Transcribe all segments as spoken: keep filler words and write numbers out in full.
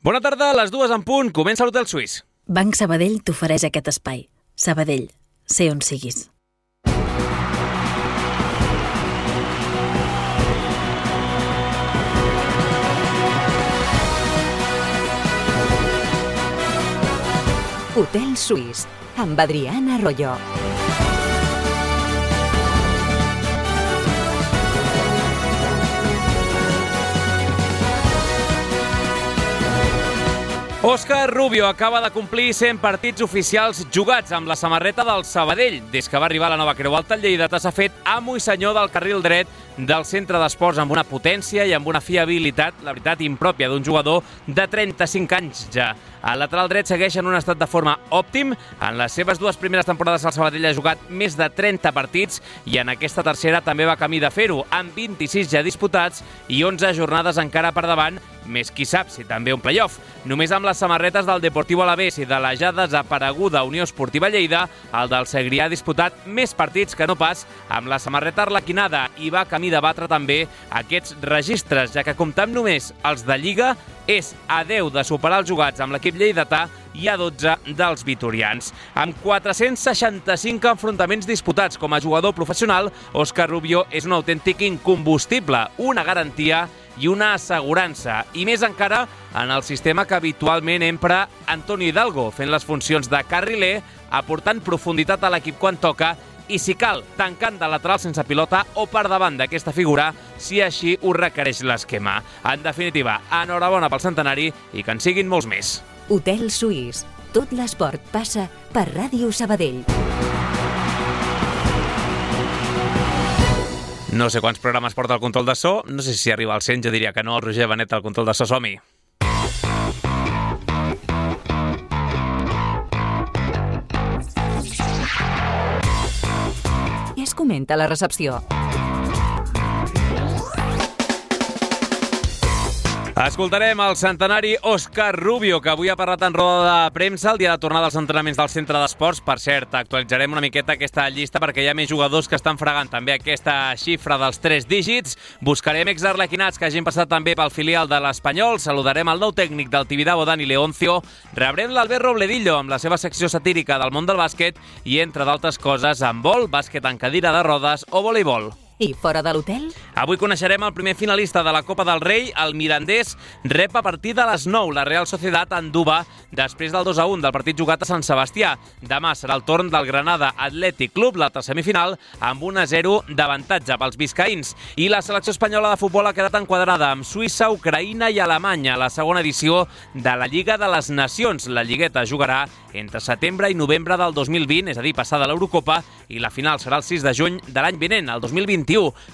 Bona tarda, a les dues en punt, comença l'Hotel Suís. Banc Sabadell t'ofereix aquest espai. Sabadell, sé on siguis. Hotel Suís, amb Adriana Arroyo. Òscar Rubio acaba de complir cent partits oficials jugats amb la samarreta del Sabadell. Des que va arribar a la nova Creu Alta, el lleidatà s'ha fet amo i senyor del carril dret del centre d'esports amb una potència i amb una fiabilitat, la veritat, impròpia d'un jugador de trenta-cinc anys ja. El lateral dret segueix en un estat de forma òptim. En les seves dues primeres temporades el Sabadell ha jugat més de trenta partits i en aquesta tercera també va camí de fer-ho, amb vint-i-sis ja disputats i onze jornades encara per davant, més qui sap si també un play-off. Només amb les samarretes del Deportiu Alavés i de la ja desapareguda Unió Esportiva Lleida, el del Segrià ha disputat més partits que no pas amb la samarreta arlequinada i va camí de batre també aquests registres, ja que comptant només els de Lliga és a deu de superar els jugats amb l'equip lleidatà i a dotze dels vitorians. Amb quatre-cents seixanta-cinc enfrontaments disputats com a jugador professional, Òscar Rubio és un autèntic incombustible, una garantia i una assegurança, i més encara en el sistema que habitualment empra Antonio Hidalgo, fent les funcions de carriler, aportant profunditat a l'equip quan toca i, si cal, tancant de lateral sense pilota o per davant d'aquesta figura, si així ho requereix l'esquema. En definitiva, enhorabona pel centenari i que en siguin molts més. Hotel Suís. Tot l'esport passa per Ràdio Sabadell. No sé quants programes porta el control de so, no sé si arriba al cent, jo diria que no, el Roger Benet al control de so, som-hi. I es comenta a la recepció. Escoltarem el centenari Òscar Rubio, que avui ha parlat en roda de premsa el dia de tornar dels entrenaments del centre d'esports. Per cert, actualitzarem una miqueta aquesta llista perquè hi ha més jugadors que estan fregant també aquesta xifra dels tres dígits. Buscarem exarlequinats que hagin passat també pel filial de l'Espanyol. Saludarem el nou tècnic del Tibidabo, Dani Leoncio. Rebrem l'Albert Robledillo amb la seva secció satírica del món del bàsquet i, entre d'altres coses, amb vol, bàsquet en cadira de rodes o voleibol. I fora de l'hotel? Avui coneixerem el primer finalista de la Copa del Rei. El Mirandés rep a partir de les nou la Real Sociedad en Duba després del dos a un del partit jugat a Sant Sebastià. Demà serà el torn del Granada Athletic Club, l'altra semifinal, amb un a zero d'avantatge pels biscaïns. I la selecció espanyola de futbol ha quedat enquadrada amb Suïssa, Ucraïna i Alemanya a la segona edició de la Lliga de les Nacions. La lligueta jugarà entre setembre i novembre del dos mil vint, és a dir, passada l'Eurocopa, i la final serà el sis de juny de l'any vinent, el dos mil vint.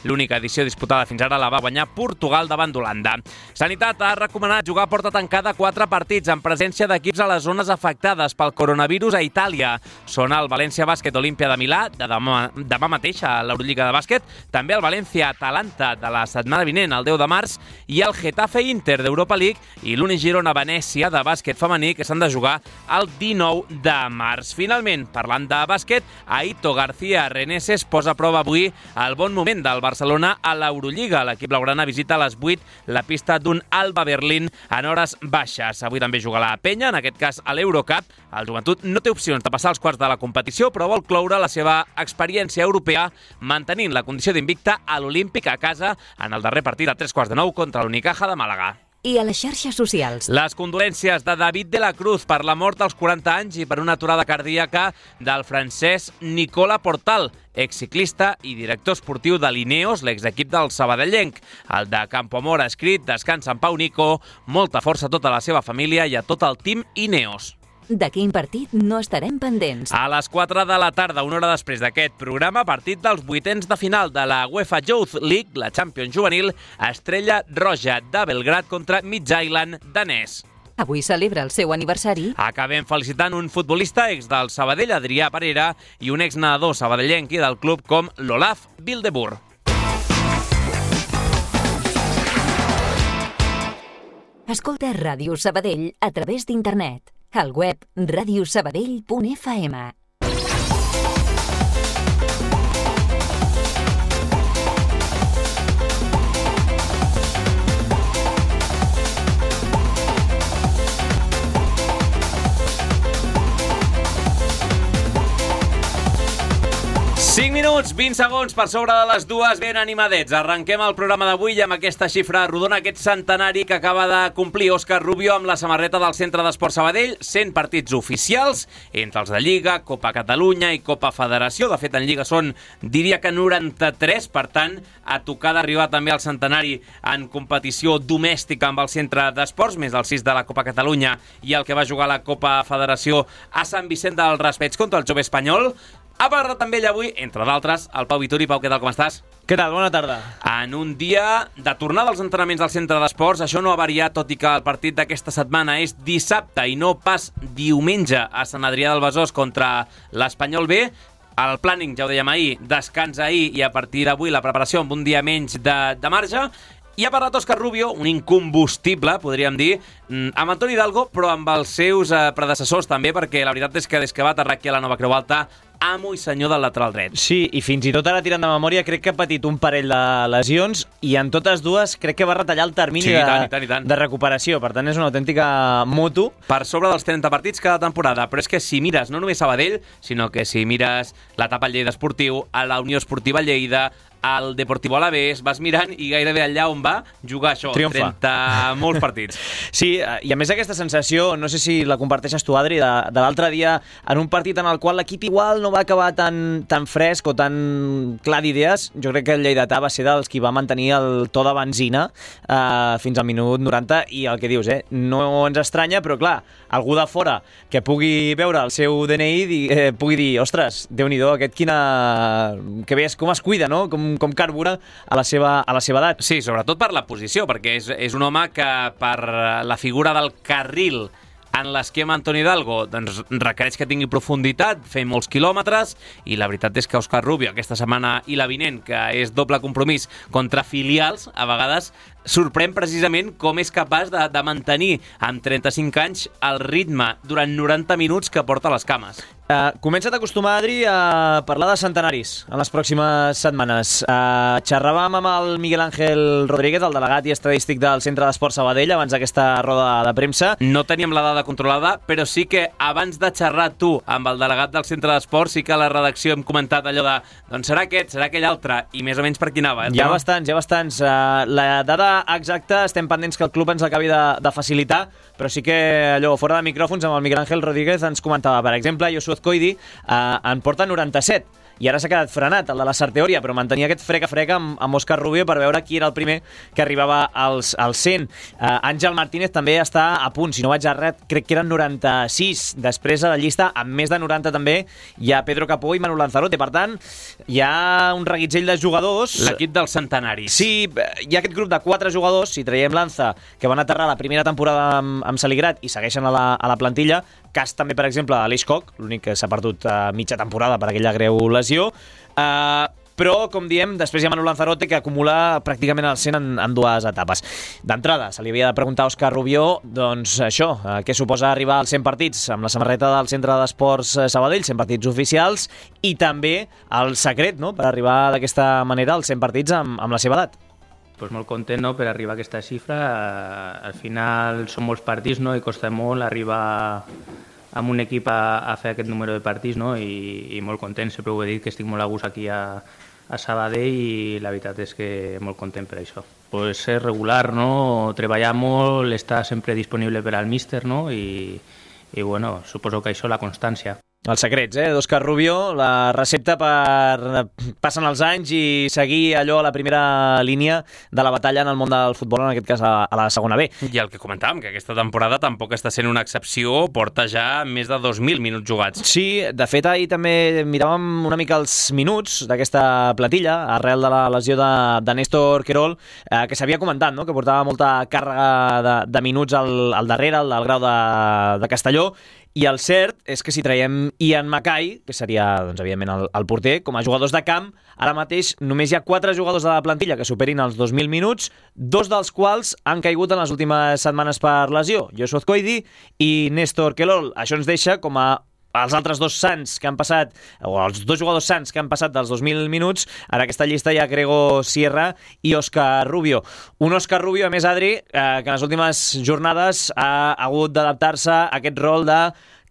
L'única edició disputada fins ara la va guanyar Portugal davant d'Holanda. Sanitat ha recomanat jugar a porta tancada quatre partits en presència d'equips a les zones afectades pel coronavirus a Itàlia. Són el València Bàsquet Olímpia de Milà, de demà, demà mateix a l'Eurolliga de bàsquet, també el València Atalanta de la setmana vinent, el deu de març, i el Getafe Inter d'Europa League i l'Uni Girona Venècia de bàsquet femení, que s'han de jugar el dinou de març. Finalment, parlant de bàsquet, Aito García Reneses posa a prova avui el bon moment del Barcelona a l'Eurolliga. L'equip blaugrana visita a les vuit la pista d'un Alba Berlín en hores baixes. Avui també juga la Penya, en aquest cas a l'Eurocup. El Joventut no té opcions de passar als quarts de la competició, però vol cloure la seva experiència europea mantenint la condició d'invicta a l'Olímpic a casa en el darrer partit a tres quarts de nou contra l'Unicaja de Màlaga. I a les xarxes socials. Les condolències de David de la Cruz per la mort als quaranta anys i per una aturada cardíaca del francès Nicola Portal, exciclista i director esportiu de l'Ineos, l'exequip del sabadellenc. El de Campoamor ha escrit: descansa en pau, Nico, molta força a tota la seva família i a tot el team Ineos. De quin partit no estarem pendents? A les quatre de la tarda, una hora després d'aquest programa, partit dels vuitens de final de la UEFA Youth League, la Champions juvenil, Estrella Roja de Belgrad contra Midtjylland danès. Avui celebra el seu aniversari. Acabem felicitant un futbolista ex del Sabadell, Adrià Parera, i un ex-nedador sabadellenc i del club com l'Olaf Wildeboer. Escolta Ràdio Sabadell a través d'internet. Al web radio sabadell punt f m. minuts, vint segons per sobre de les dues, ben animadets. Arrenquem el programa d'avui amb aquesta xifra rodona, aquest centenari que acaba de complir Òscar Rubio amb la samarreta del Centre d'Esport Sabadell, cent partits oficials, entre els de Lliga, Copa Catalunya i Copa Federació. De fet, en Lliga són, diria que noranta-tres, per tant, a tocar d'arribar també al centenari en competició domèstica amb el Centre d'Esports, més el sis de la Copa Catalunya i el que va jugar a la Copa Federació a Sant Vicent del Raspeig contra el Jove Espanyol. Ha parlat també ell avui, entre d'altres, el Pau Vituri. Pau, què tal, com estàs? Què tal? Bona tarda. En un dia de tornada als entrenaments del Centre d'Esports, això no ha variat, tot i que el partit d'aquesta setmana és dissabte i no pas diumenge a Sant Adrià del Besòs contra l'Espanyol B. El planning, ja ho dèiem ahir, descans ahir i a partir d'avui la preparació amb un dia menys de, de marge. I ha parlat Òscar Rubio, un incombustible, podríem dir, amb Antoni Hidalgo, però amb els seus eh, predecessors també, perquè la veritat és que des que va aterrar aquí a la Nova Creu Alta, amo i senyor del lateral dret. Sí, i fins i tot ara tirant de memòria crec que ha patit un parell de lesions i en totes dues crec que va retallar el termini sí, de, tant, i tant, i tant. de recuperació. Per tant, és una autèntica moto. Per sobre dels trenta partits cada temporada, però és que si mires no només Sabadell, sinó que si mires l'etapa al Lleida Esportiu, a la Unió Esportiva Lleida, al Deportivo Alavés, vas mirant i gairebé allà on va jugar això, triomfa. trenta molts partits. Sí, i a més aquesta sensació, no sé si la comparteixes tu, Adri, de, de l'altre dia, en un partit en el qual l'equip igual no va acabar tan, tan fresc o tan clar d'idees, jo crec que el lleidatà va ser dels qui va mantenir el to de benzina eh, fins al minut noranta, i el que dius, eh, no ens estranya, però clar, algú de fora que pugui veure el seu D N I eh, pugui dir, ostres, Déu-n'hi-do, aquest quina... que veies com es cuida, no? Com com carbura a la seva, a la seva edat. Sí, sobretot per la posició, perquè és, és un home que per la figura del carril en l'esquema Antoni Hidalgo doncs, requereix que tingui profunditat, fer molts quilòmetres, i la veritat és que Òscar Rubio aquesta setmana i la vinent, que és doble compromís contra filials, a vegades sorprèn precisament com és capaç de, de mantenir amb trenta-cinc anys el ritme durant noranta minuts que porta a les cames. Uh, comença't a acostumar, Adri, a parlar de centenaris en les pròximes setmanes. Uh, xerràvem amb el Miguel Ángel Rodríguez, el delegat i estadístic del Centre d'Esport Sabadell, abans d'aquesta roda de premsa. No teníem la dada controlada, però sí que abans de xerrar tu amb el delegat del Centre d'Esport, sí que a la redacció hem comentat allò de doncs serà aquest, serà aquell altre, i més o menys per quin anava. Eh? Hi ha bastants, hi ha bastants. Uh, la dada exacta estem pendents que el club ens acabi de, de facilitar, però sí que allò, fora de micròfons, amb el Miguel Ángel Rodríguez ens comentava, per exemple, Josué Azcoidi eh, en porta noranta-set, i ara s'ha quedat frenat, el de la Sarteoria, però mantenia aquest frec-a-frec amb, amb Òscar Rubio per veure qui era el primer que arribava als, als cent. Uh, Àngel Martínez també està a punt, si no vaig errat, crec que eren noranta-sis. Després a la llista, amb més de noranta també, hi ha Pedro Capó i Manu Lanzarote. Per tant, hi ha un reguitzell de jugadors. L'equip dels centenaris. Sí, hi ha aquest grup de quatre jugadors, si traiem Lanza, que van aterrar la primera temporada amb, amb Saligrat i segueixen a la, a la plantilla. Cas també, per exemple, Aleix Koch, l'únic que s'ha perdut uh, mitja temporada per aquella greu lesió. Uh, però, com diem, després hi ha Manu Lanzarote, que acumula pràcticament el cent en, en dues etapes. D'entrada, se li havia de preguntar a Òscar Rubio, doncs això, uh, què suposa arribar als cent partits amb la samarreta del Centre d'Esports Sabadell, cent partits oficials, i també el secret, no?, per arribar d'aquesta manera als cent partits amb, amb la seva edat. Pues molt content, no?, per arribar a aquesta xifra. Al final són molts partits, no?, i costa molt arribar amb un equip a, a fer aquest número de partits, no?, i, i molt content. Sempre ho he dit que estic molt a gust aquí a, a Sabadell, i la veritat és que molt content per això. Pues ser regular, no?, treballar molt, estar sempre disponible per al míster, no?, i, i bueno, suposo que això la constància. Els secrets, eh, d'Òscar Rubio, la recepta per passen els anys i seguir allò a la primera línia de la batalla en el món del futbol, en aquest cas a, a la segona B. I el que comentàvem, que aquesta temporada tampoc està sent una excepció, porta ja més de dos mil minuts jugats. Sí, de fet ahir també miràvem una mica els minuts d'aquesta platilla, arrel de la lesió de, de Néstor Querol, eh, que s'havia comentat, no?, que portava molta càrrega de, de minuts al, al darrere, al del grau de, de Castelló. I el cert és que si traiem Ian Mackay, que seria, doncs, evidentment, el, el porter, com a jugadors de camp, ara mateix només hi ha quatre jugadors de la plantilla que superin els dos mil minuts, dos dels quals han caigut en les últimes setmanes per lesió, Josué Azcoidi i Néstor Querol. Això ens deixa com a els altres dos sants que han passat, o els dos jugadors sants que han passat dels dos mil minuts, en aquesta llista hi ha Grego Sierra i Òscar Rubio. Un Òscar Rubio, a més, Adri, eh, que en les últimes jornades ha hagut d'adaptar-se a aquest rol de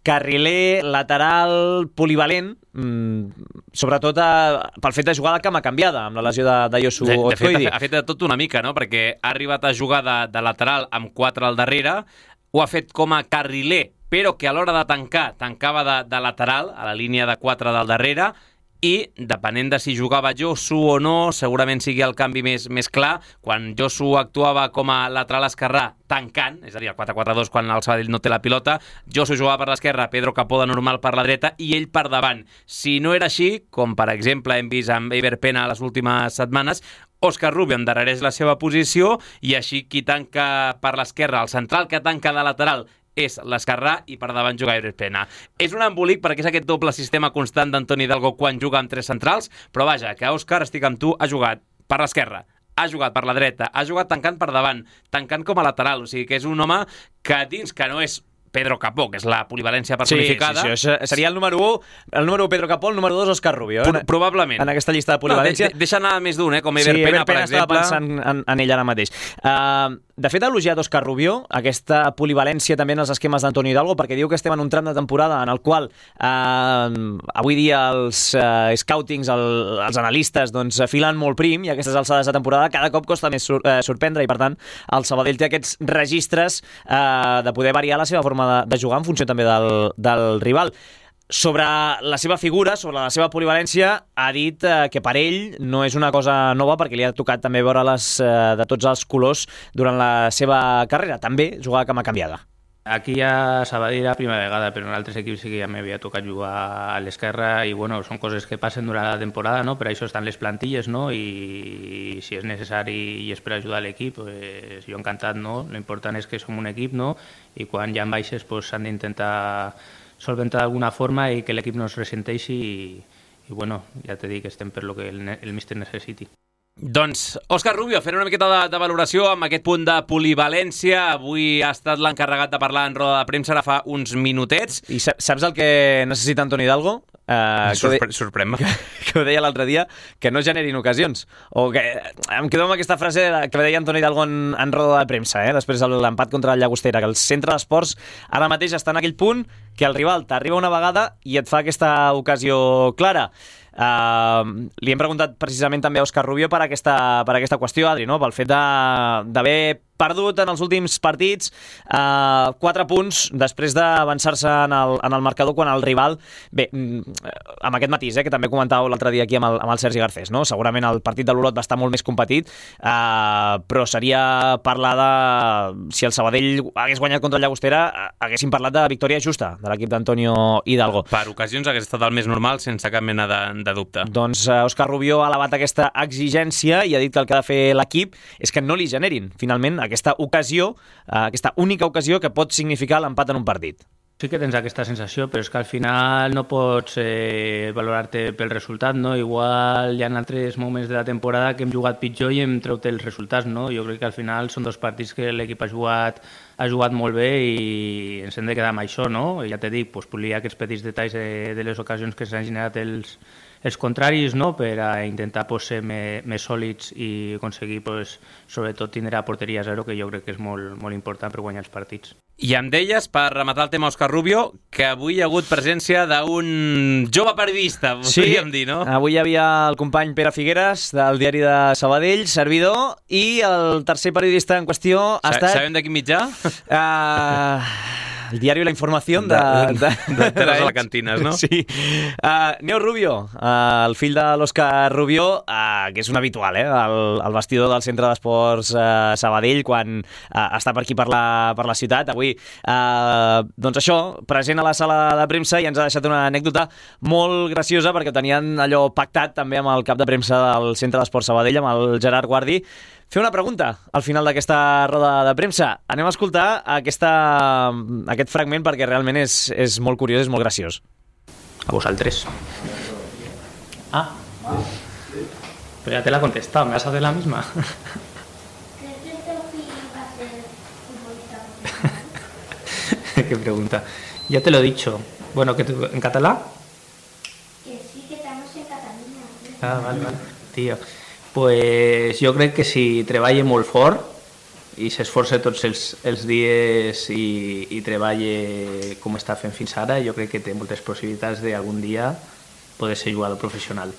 carriler, lateral, polivalent, mm, sobretot a, pel fet de jugar de cama canviada, amb la lesió de, de Josu de, de fet, Otkoidi. ha fet de tot una mica, no? Perquè ha arribat a jugar de, de lateral amb quatre al darrere, ho ha fet com a carriler, però que a l'hora de tancar, tancava de, de lateral, a la línia de quatre del darrere, i depenent de si jugava Josu o no, segurament sigui el canvi més, més clar. Quan Josu actuava com a lateral esquerrà tancant, és a dir, el quatre quatre dos quan el Sabadell no té la pilota, Josu jugava per l'esquerra, Pedro Capó de normal per la dreta i ell per davant. Si no era així, com per exemple hem vist amb Eiber Pena les últimes setmanes, Òscar Rubio endarrereix la seva posició i així qui tanca per l'esquerra, el central que tanca de lateral, és l'esquerrà i per davant juga Eiber Pena. És un embolic perquè és aquest doble sistema constant d'Antoni Hidalgo quan juga amb tres centrals, però vaja, que Òscar, estic amb tu, ha jugat per l'esquerra, ha jugat per la dreta, ha jugat tancant per davant, tancant com a lateral, o sigui que és un home que dins que no és Pedro Capó, que és la polivalència personificada. Sí, sí, sí, seria el número u, el número u Pedro Capó, el número dos Òscar Rubio. Eh? Pro probablement. En aquesta llista de polivalència. No, de, deixa anar més d'un, eh? Com Eiber sí, Pena, Eiber per Pena exemple. estava pensant en, en ell ara mateix. Uh, de fet, ha elogiat Òscar Rubio aquesta polivalència també en els esquemes d'Antoni Hidalgo, perquè diu que estem en un tram de temporada en el qual uh, avui dia els uh, scoutings, el, els analistes, doncs, filen molt prim i a aquestes alçades de temporada cada cop costa més sur uh, sorprendre i, per tant, el Sabadell té aquests registres uh, de poder variar la seva forma de, de jugar en funció també del, del rival. Sobre la seva figura, sobre la seva polivalència, ha dit eh, que per ell no és una cosa nova perquè li ha tocat també veure les eh, de tots els colors durant la seva carrera. També jugar a cama canviada. Aquí a Sabadell la primera vegada, però en altres equips sí que ja m'havia tocat jugar a l'esquerra i bueno, són coses que passen durant la temporada, no? Per això estan les plantilles, no? I, i si és necessari i és per ajudar l'equip, pues, jo encantat, no? L'important és que som un equip, no? I quan ja en baixes pues, s'han d'intentar solventar d'alguna forma i que l'equip no es ressenteixi i, i bueno, ja t'he dit que estem per lo que el, el míster necessiti. Doncs, Òscar Rubio, fent una miqueta de, de valoració amb aquest punt de polivalència. Avui ha estat l'encarregat de parlar en roda de premsa ara fa uns minutets. I saps el que necessita Antoni Hidalgo? Uh, Sorpre Sorprèn-me. Que, que ho deia l'altre dia, que no generin ocasions. O que em quedo amb aquesta frase que deia Antoni Hidalgo en, en roda de premsa, eh? Després de l'empat contra el Llagostera, que el centre d'esports ara mateix està en aquell punt que el rival t'arriba una vegada i et fa aquesta ocasió clara. Uh, li hem preguntat precisament també a Òscar Rubio per aquesta, per aquesta qüestió, Adri, no? Pel fet d'haver perdut en els últims partits uh, quatre punts després d'avançar-se en, el, en el marcador quan el rival, bé, amb aquest matís, eh, que també comentàveu l'altre dia aquí amb el, amb el Sergi Garcés, no? Segurament el partit de l'Olot va estar molt més competit, uh, però seria parlar de si el Sabadell hagués guanyat contra el Llagostera, haguéssim parlat de victòria justa de l'equip d'Antonio Hidalgo. Per ocasions hagués estat el més normal, sense cap mena de, de dubte. Doncs uh, Òscar Rubio ha elevat aquesta exigència i ha dit que el que ha de fer l'equip és que no li generin, finalment, aquesta ocasió, uh, aquesta única ocasió que pot significar l'empat en un partit. Sí que tens aquesta sensació, però és que al final no pots eh, valorar-te pel resultat, no? Igual hi ha altres moments de la temporada que hem jugat pitjor i hem treut els resultats, no? Jo crec que al final són dos partits que l'equip ha jugat ha jugat molt bé i ens hem de quedar amb això, no? I ja t'he dit, pues, polir aquests petits detalls de, de les ocasions que s'han generat els, els contraris, no? Per a intentar pues, ser més, més sòlids i aconseguir, pues, sobretot, tindre a porteria zero, que jo crec que és molt, molt important per guanyar els partits. I em deies, per rematar el tema Òscar Rubio, que avui hi ha hagut presència d'un jove periodista, podríem dir, no? Avui hi havia el company Pere Figueres, del diari de Sabadell, servidor, i el tercer periodista en qüestió ha Sa estat... Sabem de quin mitjà? Uh, el diari La Información de... De, de, de, de les alacantines, no? Sí. Uh, Neo Rubio, uh, el fill de l'Òscar Rubio, uh, que és un habitual, eh? El, el vestidor del Centre d'Esports uh, Sabadell, quan uh, està per aquí per la, per la ciutat. Avui, uh, doncs això, present a la sala de premsa, i ens ha deixat una anècdota molt graciosa, perquè ho tenien allò pactat també amb el cap de premsa del Centre d'Esports Sabadell, amb el Gerard Guardi, fer una pregunta al final d'aquesta roda de premsa. Anem a escoltar aquesta, aquest fragment perquè realment és, és molt curiós, és molt graciós. A vosaltres. Ah, pero ya te la he contestado, ¿me vas a hacer la misma? ¿Qué pregunta? Ya te lo he dicho. Bueno, ¿que tú, ¿en catalán? Que sí, que estamos en Cataluña. Ah, vale, vale. Tío. Pues jo crec que si treballa molt fort i s'esforça tots els, els dies i, i treballa com està fent fins ara, jo crec que té moltes possibilitats d'algun dia poder ser jugador professional.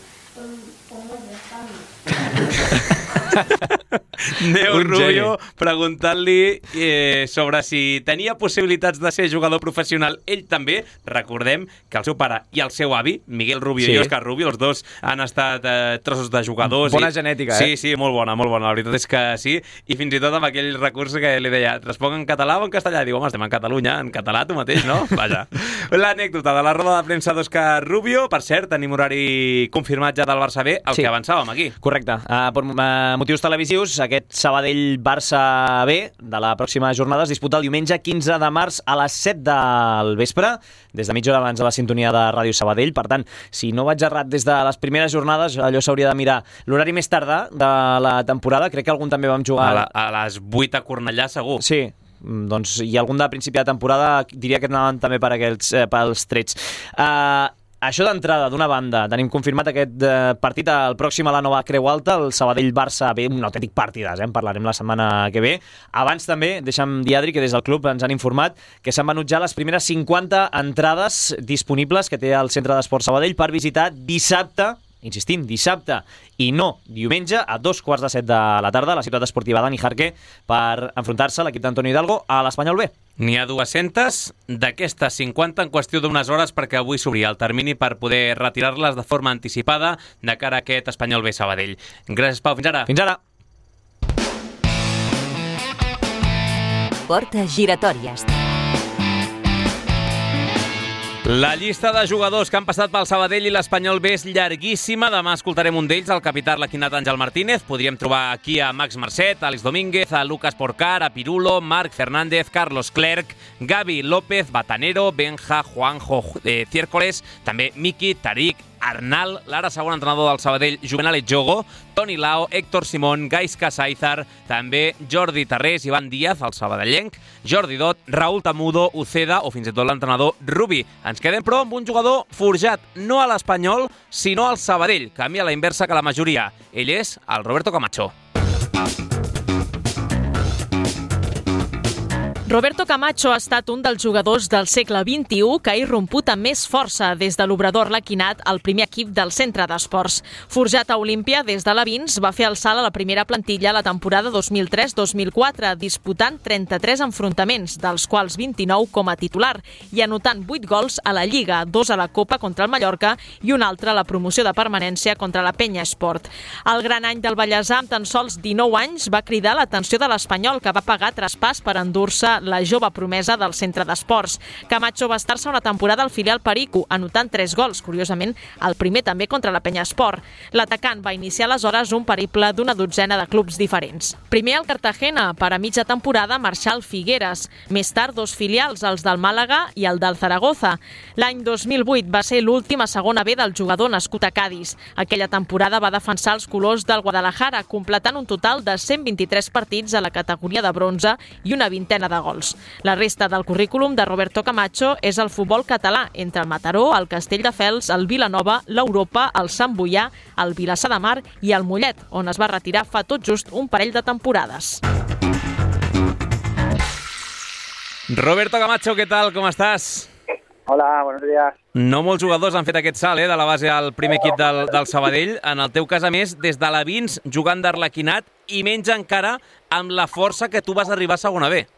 Neu Rubio preguntant-li eh, sobre si tenia possibilitats de ser jugador professional. Ell també, recordem que el seu pare i el seu avi, Miguel Rubio sí. i Òscar Rubio, els dos han estat eh, trossos de jugadors. Bona i... genètica, eh? Sí, sí, molt bona, molt bona. La veritat és que sí. I fins i tot amb aquell recurs que li deia, responc en català o en castellà? I diu, home, estem en Catalunya, en català tu mateix, no? Vaja. L'anècdota de la roda de premsa d'Òscar Rubio. Per cert, tenim horari confirmat ja del Barça B, el sí. que avançàvem aquí. Correcte. Uh, per uh, motius televisius, aquest Sabadell-Barça B de la pròxima jornada es disputa el diumenge quinze de març a les set del vespre, des de mitja hora abans de la sintonia de Ràdio Sabadell. Per tant, si no vaig errat des de les primeres jornades, allò s'hauria de mirar l'horari més tardà de la temporada. Crec que algun també vam jugar... A, la, a les vuit a Cornellà, segur. Sí, doncs i algun de principi de temporada diria que anaven també per aquells, eh, pels trets. Uh, Això d'entrada, d'una banda, tenim confirmat aquest eh, partit el pròxim a la nova Creu Alta, el Sabadell-Barça B, un autèntic partidàs, eh? En parlarem la setmana que ve. Abans també, deixa'm dir, Adri, que des del club ens han informat que s'han venut ja les primeres cinquanta entrades disponibles que té el Centre d'Esports Sabadell per visitar dissabte, insistim, dissabte i no diumenge, a dos quarts de set de la tarda, a la ciutat esportiva Dani Jarque, per enfrontar-se a l'equip d'Antonio Hidalgo a l'Espanyol B. N'hi ha dues-centes d'aquestes cinquanta en qüestió d'unes hores perquè avui s'obria el termini per poder retirar-les de forma anticipada de cara a aquest Espanyol B Sabadell. Gràcies, Pau. Fins ara. Fins ara. Portes giratòries. La llista de jugadors que han passat pel Sabadell i l'Espanyol B és llarguíssima. Demà escoltarem un d'ells, el capità arlequinat Àngel Martínez. Podríem trobar aquí a Max Marcet, a Àlex Domínguez, a Lucas Porcar, a Pirulo, Marc Fernández, Carlos Clerc, Gavi López, Batanero, Benja, Juanjo eh, Ciércoles, també Miki, Tariq, Arnal, l'ara segon entrenador del Sabadell, Juvenal Etjogo, Toni Lao, Héctor Simón, Gaisca Saizar, també Jordi Tarrés, Ivan Díaz, el sabadellenc, Jordi Dot, Raúl Tamudo, Uceda o fins i tot l'entrenador Rubi. Ens quedem, però, amb un jugador forjat no a l'Espanyol, sinó al Sabadell. Canvia a la inversa que la majoria. Ell és el Roberto Camacho. Roberto Camacho ha estat un dels jugadors del segle vint-i-u que ha irromput amb més força des de l'Obrador Arlequinat al primer equip del Centre d'Esports. Forjat a Olímpia des de l'Avins, va fer el salt a la primera plantilla la temporada dos mil tres dos mil quatre, disputant trenta-tres enfrontaments, dels quals vint-i-nou com a titular, i anotant vuit gols a la Lliga, dos a la Copa contra el Mallorca i un altre a la promoció de permanència contra la Penya Esport. El gran any del Vallèsà, amb tan sols dinou anys, va cridar l'atenció de l'Espanyol, que va pagar traspàs per endur-se la jove promesa del Centre d'Esports. Camacho va estar-se una temporada al filial Perico, anotant tres gols, curiosament el primer també contra la Penya Esport. L'atacant va iniciar aleshores un periple d'una dotzena de clubs diferents. Primer al Cartagena, per a mitja temporada marxar al Figueres. Més tard dos filials, els del Màlaga i el del Zaragoza. L'any dos mil vuit va ser l'última segona B del jugador nascut a Cadis. Aquella temporada va defensar els colors del Guadalajara, completant un total de cent vint-i-tres partits a la categoria de bronze i una vintena de gols. La resta del currículum de Roberto Camacho és el futbol català, entre el Mataró, el Castelldefels, el Vilanova, l'Europa, el Sant Boià, el Vilassar de Mar i el Mollet, on es va retirar fa tot just un parell de temporades. Roberto Camacho, ¿qué tal? ¿Cómo estás? Hola, buenos días. No molts jugadors han fet aquest salt, eh, de la base al primer equip del, del Sabadell. En el teu cas, a més, des de l'Avins, jugant d'arlequinat, i menys encara amb la força que tu vas arribar a segona B.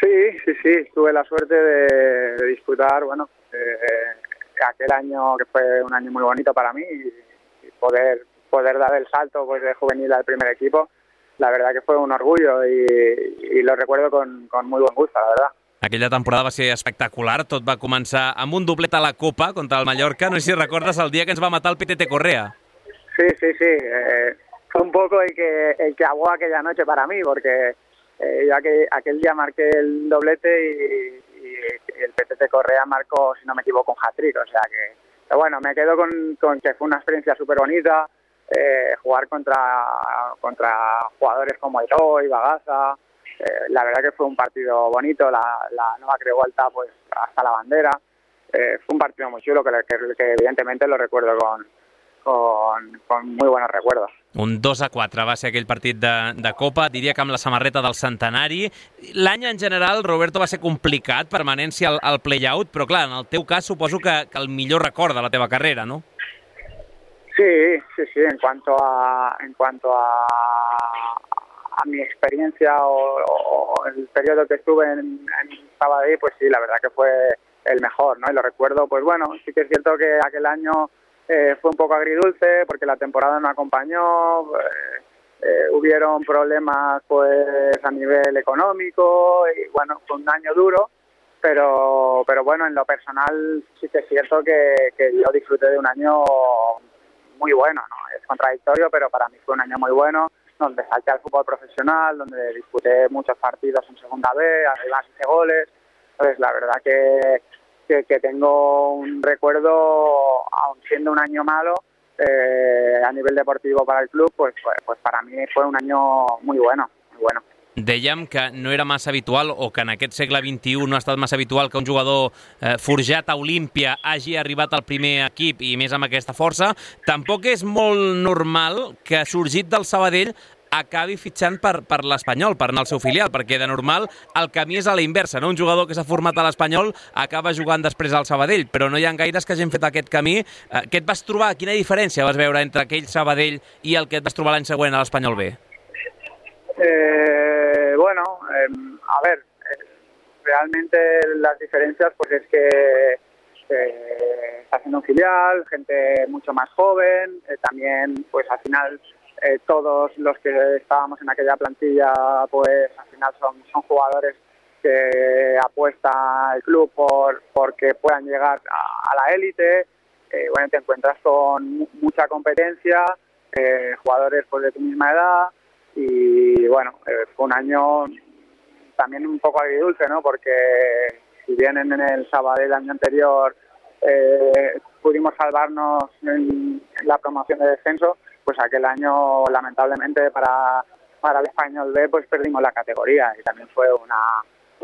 Sí, sí, sí. Tuve la suerte de, de disputar, bueno, eh, aquel año que fue un año muy bonito para mí y, y poder poder dar el salto pues de juvenil al primer equipo, la verdad que fue un orgullo y, y lo recuerdo con, con muy buen gusto, la verdad. Aquella temporada va ser espectacular, tot va començar amb un doblet a la Copa contra el Mallorca. No sé si recordes el dia que ens va matar el P T T Correa. Sí, sí, sí. Eh, fue un poco el que, el que aguó aquella noche para mí, porque Eh, yo aquel, aquel día marqué el doblete y, y el P T T Correa marcó, si no me equivoco, un hat-trick. O sea que, pero bueno, me quedo con, con que fue una experiencia súper bonita, eh, jugar contra, contra jugadores como Eloy, Bagaza. Eh, la verdad que fue un partido bonito, la, la nueva Creu Alta pues hasta la bandera. Eh, fue un partido muy chulo que, que, que evidentemente lo recuerdo con, con, con muy buenos recuerdos. Un dos a quatre va ser aquell partit de, de Copa, diria que amb la samarreta del centenari. L'any en general, Roberto, va ser complicat, permanència al, al play-out, però clar, en el teu cas suposo que, que el millor record de la teva carrera, ¿no? Sí, sí, sí, en cuanto a, en cuanto a, a mi experiencia o, o el periodo que estuve en, en Sabadell, pues sí, la verdad que fue el mejor, ¿no? Y lo recuerdo, pues bueno, sí que es cierto que aquel año Eh, fue un poco agridulce porque la temporada no acompañó, eh, eh, hubieron problemas pues a nivel económico y bueno, fue un año duro, pero pero bueno, en lo personal sí que es cierto que, que yo disfruté de un año muy bueno, ¿no? Es contradictorio, pero para mí fue un año muy bueno, donde salté al fútbol profesional, donde disputé muchos partidos en segunda B, arriba hice goles, entonces la verdad que Que, que tengo un recuerdo, aun siendo un año malo, eh, a nivel deportivo para el club, pues, pues, pues para mí fue un año muy bueno, muy bueno. Dèiem que no era massa habitual, o que en aquest segle vint-i-u no ha estat massa habitual que un jugador eh, forjat a Olímpia hagi arribat al primer equip i més amb aquesta força. Tampoc és molt normal que sorgit del Sabadell acabi fitxant per, per l'Espanyol, per anar al seu filial, perquè de normal el camí és a la inversa, no? Un jugador que s'ha format a l'Espanyol acaba jugant després al Sabadell, però no hi ha gaires que hagin fet aquest camí. Eh, què et vas trobar? Quina diferència vas veure entre aquell Sabadell i el que et vas trobar l'any següent a l'Espanyol B? Eh, bueno, eh, a ver, eh, realmente las diferencias pues es que eh, está haciendo un filial, gente mucho más joven, eh, también pues al final Eh, todos los que estábamos en aquella plantilla pues al final son, son jugadores que apuesta el club por porque puedan llegar a, a la élite. Eh, bueno, te encuentras con mucha competencia, eh, jugadores pues de tu misma edad y bueno, eh, fue un año también un poco agridulce, ¿no? Porque si bien en el Sabadell el año anterior eh, pudimos salvarnos en, en la promoción de descenso, pues aquel año lamentablemente para, para el Español B pues perdimos la categoría y también fue una,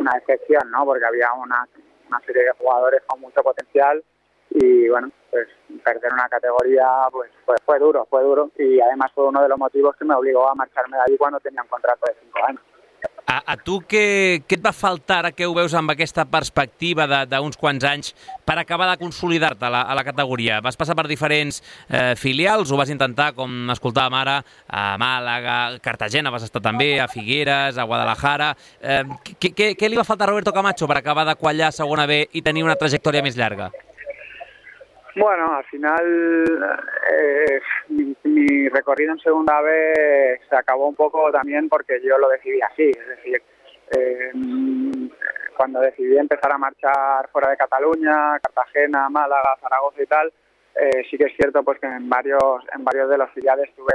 una excepción, ¿no? Porque había una, una serie de jugadores con mucho potencial y bueno, pues perder una categoría pues, pues fue duro, fue duro y además fue uno de los motivos que me obligó a marcharme de allí cuando tenía un contrato de cinco años. A, a tu què, què et va faltar, ara que ho veus amb aquesta perspectiva d'uns quants anys, per acabar de consolidar-te a, la, a la categoria? Vas passar per diferents eh, filials, ho vas intentar, com escoltàvem ara, a Màlaga, a Cartagena vas estar també, a Figueres, a Guadalajara. Eh, què, què, què li va faltar a Roberto Camacho per acabar de quallar a segona B i tenir una trajectòria més llarga? Bueno, al final eh, mi, mi recorrido en segunda B se acabó un poco también porque yo lo decidí así, es decir, eh, cuando decidí empezar a marchar fuera de Cataluña, Cartagena, Málaga, Zaragoza y tal, eh, sí que es cierto pues que en varios en varios de los filiales tuve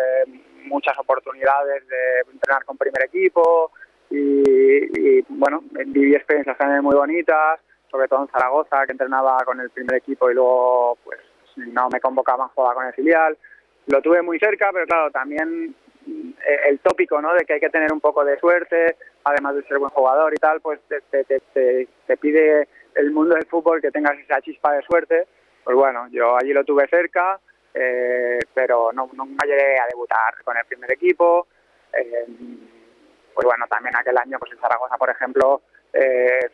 muchas oportunidades de entrenar con primer equipo y, y bueno, viví experiencias también muy bonitas, sobre todo en Zaragoza, que entrenaba con el primer equipo y luego, pues, si no me convocaban, jugaba con el filial. Lo tuve muy cerca, pero claro, también el tópico, ¿no?, de que hay que tener un poco de suerte, además de ser buen jugador y tal, pues te, te, te, te pide el mundo del fútbol que tengas esa chispa de suerte. Pues bueno, yo allí lo tuve cerca, eh, pero no, no me llegué a debutar con el primer equipo. Eh, pues bueno, también aquel año, pues en Zaragoza, por ejemplo, Eh,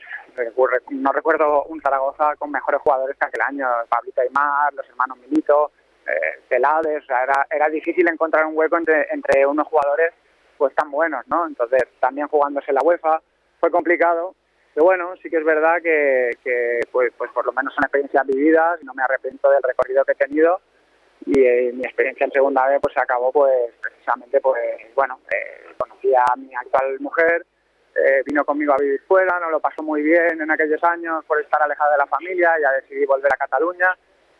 no recuerdo un Zaragoza con mejores jugadores que aquel año, Pablito Aymar, los hermanos Milito, eh, Celades, o sea, era, era difícil encontrar un hueco entre, entre unos jugadores pues tan buenos, ¿no? Entonces, también jugándose la UEFA fue complicado, pero bueno, sí que es verdad que, que pues, pues por lo menos son experiencias vividas y no me arrepiento del recorrido que he tenido y eh, mi experiencia en segunda B pues se acabó pues precisamente pues bueno, eh, conocí a mi actual mujer. Eh, vino conmigo a vivir fuera, nos lo pasó muy bien en aquellos años por estar alejada de la familia, ya decidí volver a Cataluña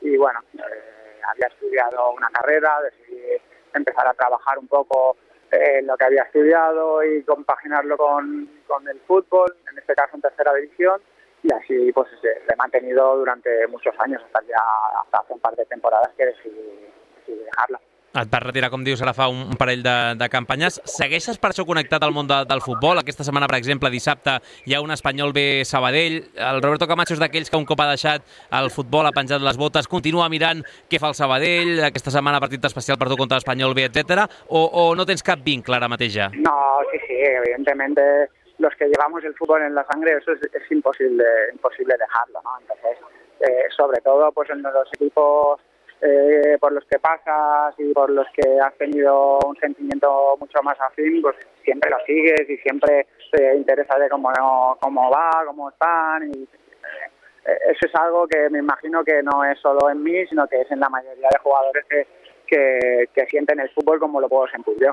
y bueno, eh, había estudiado una carrera, decidí empezar a trabajar un poco eh, en lo que había estudiado y compaginarlo con, con el fútbol, en este caso en tercera división, y así pues eh, lo he mantenido durante muchos años, hasta ya hasta hace un par de temporadas que decidí, decidí dejarla. Et vas retirar, com dius, ara fa un, un parell de, de campanyes. Segueixes per això connectat al món de, del futbol? Aquesta setmana, per exemple, dissabte, hi ha un Espanyol B Sabadell. El Roberto Camacho és d'aquells que un cop ha deixat el futbol, ha penjat les botes, continua mirant què fa el Sabadell, aquesta setmana partit especial per tu contra l'Espanyol B, etcètera. O, o no tens cap vincle ara mateix ja? No, sí, sí, evidentemente los que llevamos el fútbol en la sangre, eso es, es imposible, imposible dejarlo, ¿no? Entonces, eh, sobre todo pues en los equipos Eh, por los que pasas y por los que has tenido un sentimiento mucho más afín, pues siempre lo sigues y siempre te interesa de cómo, cómo va, cómo están. Y, eh, eso es algo que me imagino que no es solo en mí, sino que es en la mayoría de jugadores que, que, que sienten el fútbol como lo puedo sentir yo.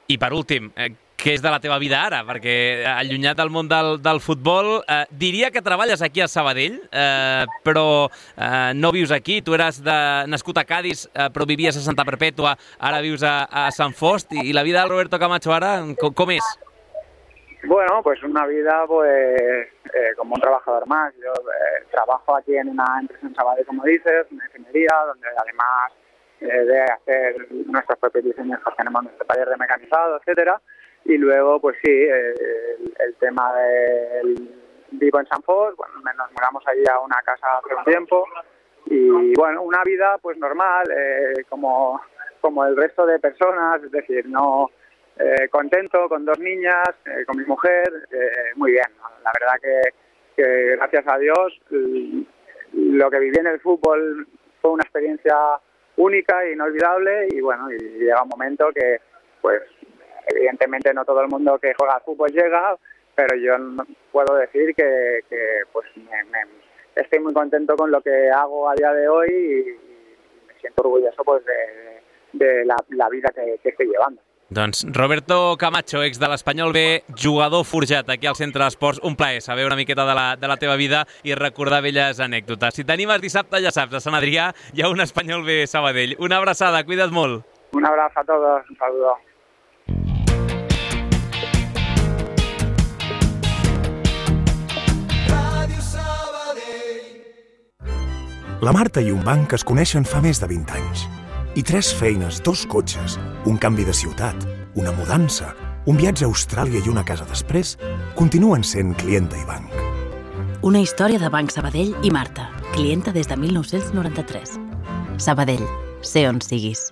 I per últim, eh, què és de la teva vida ara? Perquè allunyat del món del, del futbol, eh, diria que treballes aquí a Sabadell, eh, però eh, no vius aquí. Tu eres de, nascut a Cádiz, eh, però vivies a Santa Perpètua, ara vius a, a Sant Fost, i, i la vida del Roberto Camacho ara, com, com és? Bueno, pues una vida pues eh, como un trabajador más. Yo eh, trabajo aquí en una empresa en Sabadell, como dices, una ingeniería, donde además de hacer nuestros propios diseños, pues tenemos nuestro taller de mecanizado, etcétera. Y luego, pues sí, el, el tema del vivo en Sant Fost, bueno, nos mudamos allí a una casa hace un tiempo y bueno, una vida pues normal, eh, como, como el resto de personas, es decir, no eh, contento con dos niñas, eh, con mi mujer, eh, muy bien, ¿no? La verdad que, que gracias a Dios lo que viví en el fútbol fue una experiencia única e inolvidable y bueno, y llega un momento que pues evidentemente no todo el mundo que juega al fútbol llega, pero yo puedo decir que, que pues me, me, estoy muy contento con lo que hago a día de hoy y, y me siento orgulloso pues de, de la, la vida que, que estoy llevando. Doncs Roberto Camacho, ex de l'Espanyol B, jugador forjat aquí al Centre d'Esports. Un plaer saber una miqueta de la, de la teva vida i recordar velles anècdotes. Si t'animes dissabte, ja saps, a Sant Adrià hi ha un Espanyol B Sabadell. Una abraçada, cuida't molt. Un abrazo a todos, un saludo. La Marta i un banc es coneixen fa més de vint anys. I tres feines, dos cotxes, un canvi de ciutat, una mudança, un viatge a Austràlia i una casa després, continuen sent clienta i banc. Una història de Banc Sabadell i Marta, clienta des de mil nou-cents noranta-tres. Sabadell, sé on siguis.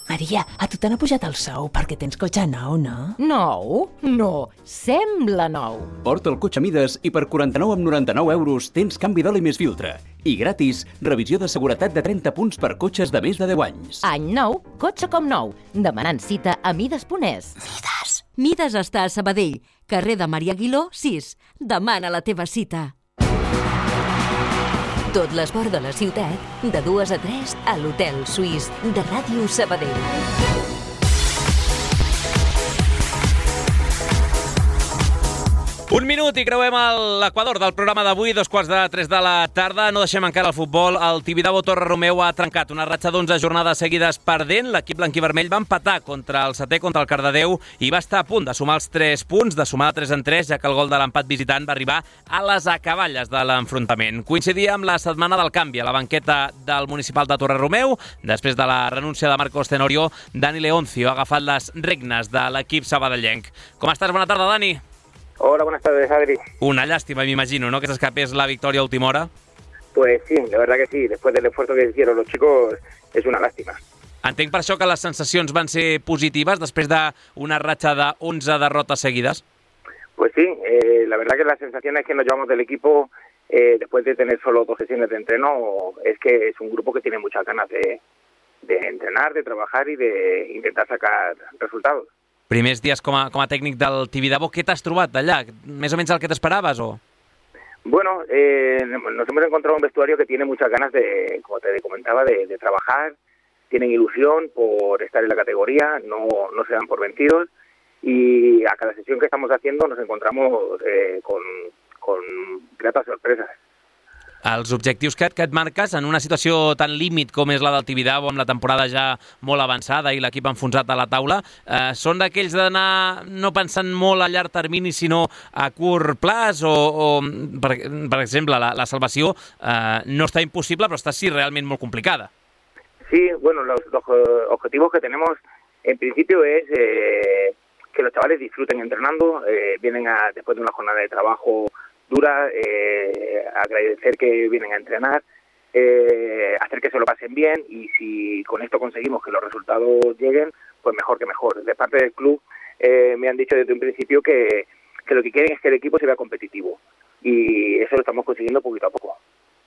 Maria, a tu t'han pujat el sou perquè tens cotxe nou, no? Nou? No, sembla nou. Porta el cotxe a mides i per quaranta-nou coma noranta-nou euros tens canvi d'oli més filtre. I gratis, revisió de seguretat de trenta punts per cotxes de més de deu anys. Any nou, cotxe com nou. Demanant cita a mides punt es. Mides. Mides està a Sabadell, carrer de Maria Aguiló, sis. Demana la teva cita. Tot l'esport de la ciutat, de dues a tres, a l'Hotel Suís de Ràdio Sabadell. Un minut i creuem l'equador del programa d'avui, dos quarts de tres de la tarda. No deixem encara el futbol. El Tibidabo Torre Romeu ha trencat una ratxa d'onze jornades seguides perdent. L'equip blanquivermell va empatar contra el setè, contra el Cardedeu, i va estar a punt de sumar els tres punts, de sumar de tres en tres, ja que el gol de l'empat visitant va arribar a les acaballes de l'enfrontament. Coincidia amb la setmana del canvi a la banqueta del municipal de Torre Romeu. Després de la renúncia de Marcos Tenorio, Dani Leoncio ha agafat les regnes de l'equip sabadellenc. Com estàs? Bona tarda, Dani. Hola, buenas tardes, Adri. Una lástima, me imagino, ¿no?, que se escapes la victoria a última hora. Pues sí, la verdad que sí. Después del esfuerzo que hicieron los chicos, es una lástima. Entenc per això que les sensacions van ser positives després d'una ratxa de onze derrotes seguides. Pues sí, eh, la verdad que las sensaciones que nos llevamos del equipo, eh, después de tener solo dos sesiones de entreno, es que es un grupo que tiene muchas ganas de, de entrenar, de trabajar y de intentar sacar resultados. Primers dies com a, com a tècnic del Tibidabo, què t'has trobat d'allà? Més o menys el que t'esperaves, o...? Bueno, eh, nos hemos encontrado un vestuario que tiene muchas ganas de, como te comentaba, de, de trabajar, tienen ilusión por estar en la categoría, no, no se dan por vencidos, y a cada sesión que estamos haciendo nos encontramos eh, con, con gratas sorpresas. Els objectius que, que et marques en una situació tan límit com és la del Tibidabo, amb la temporada ja molt avançada i l'equip enfonsat a la taula, eh, són d'aquells d'anar no pensant molt a llarg termini, sinó a curt plaç, o, o per, per exemple, la, la salvació eh, no està impossible, però està sí realment molt complicada. Sí, bueno, los, los objetivos que tenemos en principio es eh, que los chavales disfruten entrenando, eh, vienen a, después de una jornada de trabajo dura, eh, agradecer que vienen a entrenar, eh, hacer que se lo pasen bien, y si con esto conseguimos que los resultados lleguen, pues mejor que mejor. De parte del club eh, me han dicho desde un principio que, que lo que quieren es que el equipo se vea competitivo, i això lo estamos consiguiendo poquito a poco.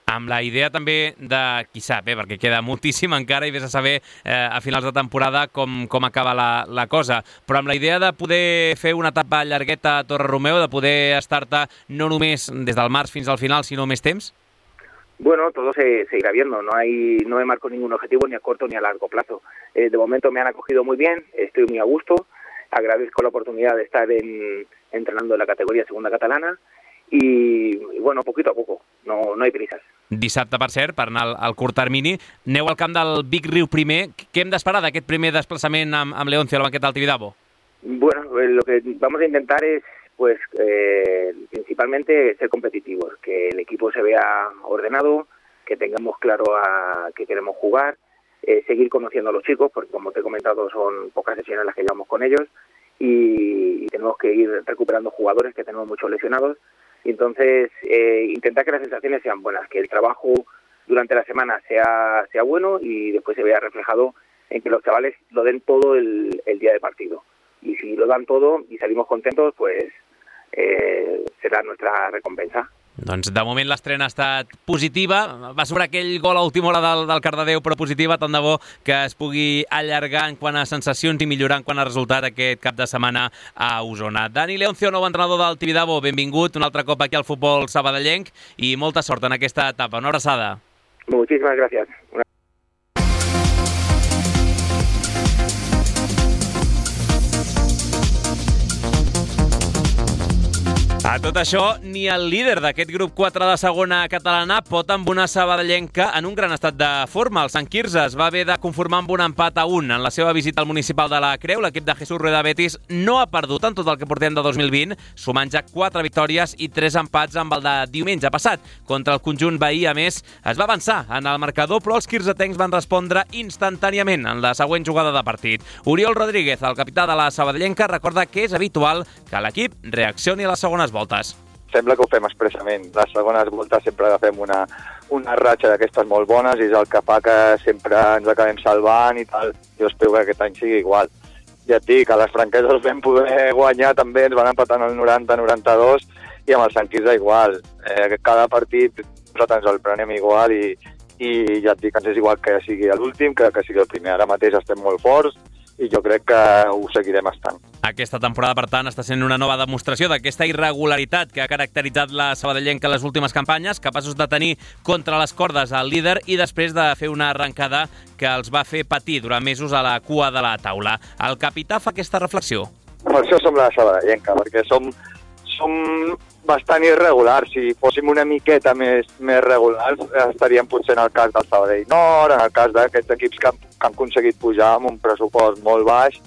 Amb la idea també de, qui sap, eh, perquè queda moltíssim encara i vés a saber eh, a finals de temporada com, com acaba la, la cosa, però amb la idea de poder fer una etapa llargueta a Torre-Romeu, de poder estar-te no només des del març fins al final, sinó més temps? Bueno, todo se, se irá viendo, no hay, no me marco ningún objetivo ni a corto ni a largo plazo. Eh, de momento me han acogido muy bien, estoy muy a gusto, agradezco la oportunidad de estar en, entrenando en la categoría segunda catalana i, i bueno, poquito a poco, no, no hay prisas. Dissabte, per cert, per anar al, al curt termini, aneu al camp del Vic Riu primer. Què hem d'esperar d'aquest primer desplaçament amb, amb Leoncio a la banqueta del Tibidabo? Bueno, eh, lo que vamos a intentar es pues eh, principalmente ser competitivos, que el equipo se vea ordenado, que tengamos claro a qué queremos jugar, eh, seguir conociendo a los chicos, porque como te he comentado son pocas sesiones las que llevamos con ellos, y, y tenemos que ir recuperando jugadores que tenemos muchos lesionados, y entonces eh, intentar que las sensaciones sean buenas, que el trabajo durante la semana sea, sea bueno y después se vea reflejado en que los chavales lo den todo el, el día de partido. Y si lo dan todo y salimos contentos, pues eh, será nuestra recompensa. Doncs de moment l'estrena ha estat positiva, va sobre aquell gol a última hora del, del Cardedeu, però positiva, tant de bo que es pugui allargar en quant a sensacions i millorar en quant a resultat aquest cap de setmana a Osona. Dani Leoncio, nou entrenador del Tibidabo, benvingut un altre cop aquí al futbol sabadellenc i molta sort en aquesta etapa. Una abraçada. Muchísimas gracias. Una... A tot això, ni el líder d'aquest grup quatre de segona catalana pot amb una sabadellenca en un gran estat de forma. El Sant Quirze es va haver de conformar amb un empat a un en la seva visita al municipal de la Creu. L'equip de Jesús Rueda Betis no ha perdut en tot el que portem de dos mil vint, sumant ja quatre victòries i tres empats amb el de diumenge passat. Contra el conjunt veí, a més, es va avançar en el marcador, però els quirzetencs van respondre instantàniament en la següent jugada de partit. Oriol Rodríguez, el capità de la sabadellenca, recorda que és habitual que l'equip reaccioni a les segones voltes. Sembla que ho fem expressament. Les segones voltes sempre agafem una, una ratxa d'aquestes molt bones i és el que fa que sempre ens acabem salvant i tal. Jo espero que aquest any sigui igual. Ja et dic, a les franqueses vam poder guanyar també, ens van empatar el noranta noranta-dos i amb el Sant Quirze igual. Eh, cada partit nosaltres ens el prenem igual i, i ja et dic, ens és igual que sigui l'últim que que sigui el primer. Ara mateix estem molt forts i jo crec que ho seguirem estant. Aquesta temporada, per tant, està sent una nova demostració d'aquesta irregularitat que ha caracteritzat la sabadellenca en les últimes campanyes, capaços de tenir contra les cordes el líder i després de fer una arrencada que els va fer patir durant mesos a la cua de la taula. El capità fa aquesta reflexió. Per això som la sabadellenca, perquè som, som bastant irregulars. Si fóssim una miqueta més, més regulars, estaríem potser en el cas del Sabadell Nord, en el cas d'aquests equips que han, que han aconseguit pujar amb un pressupost molt baix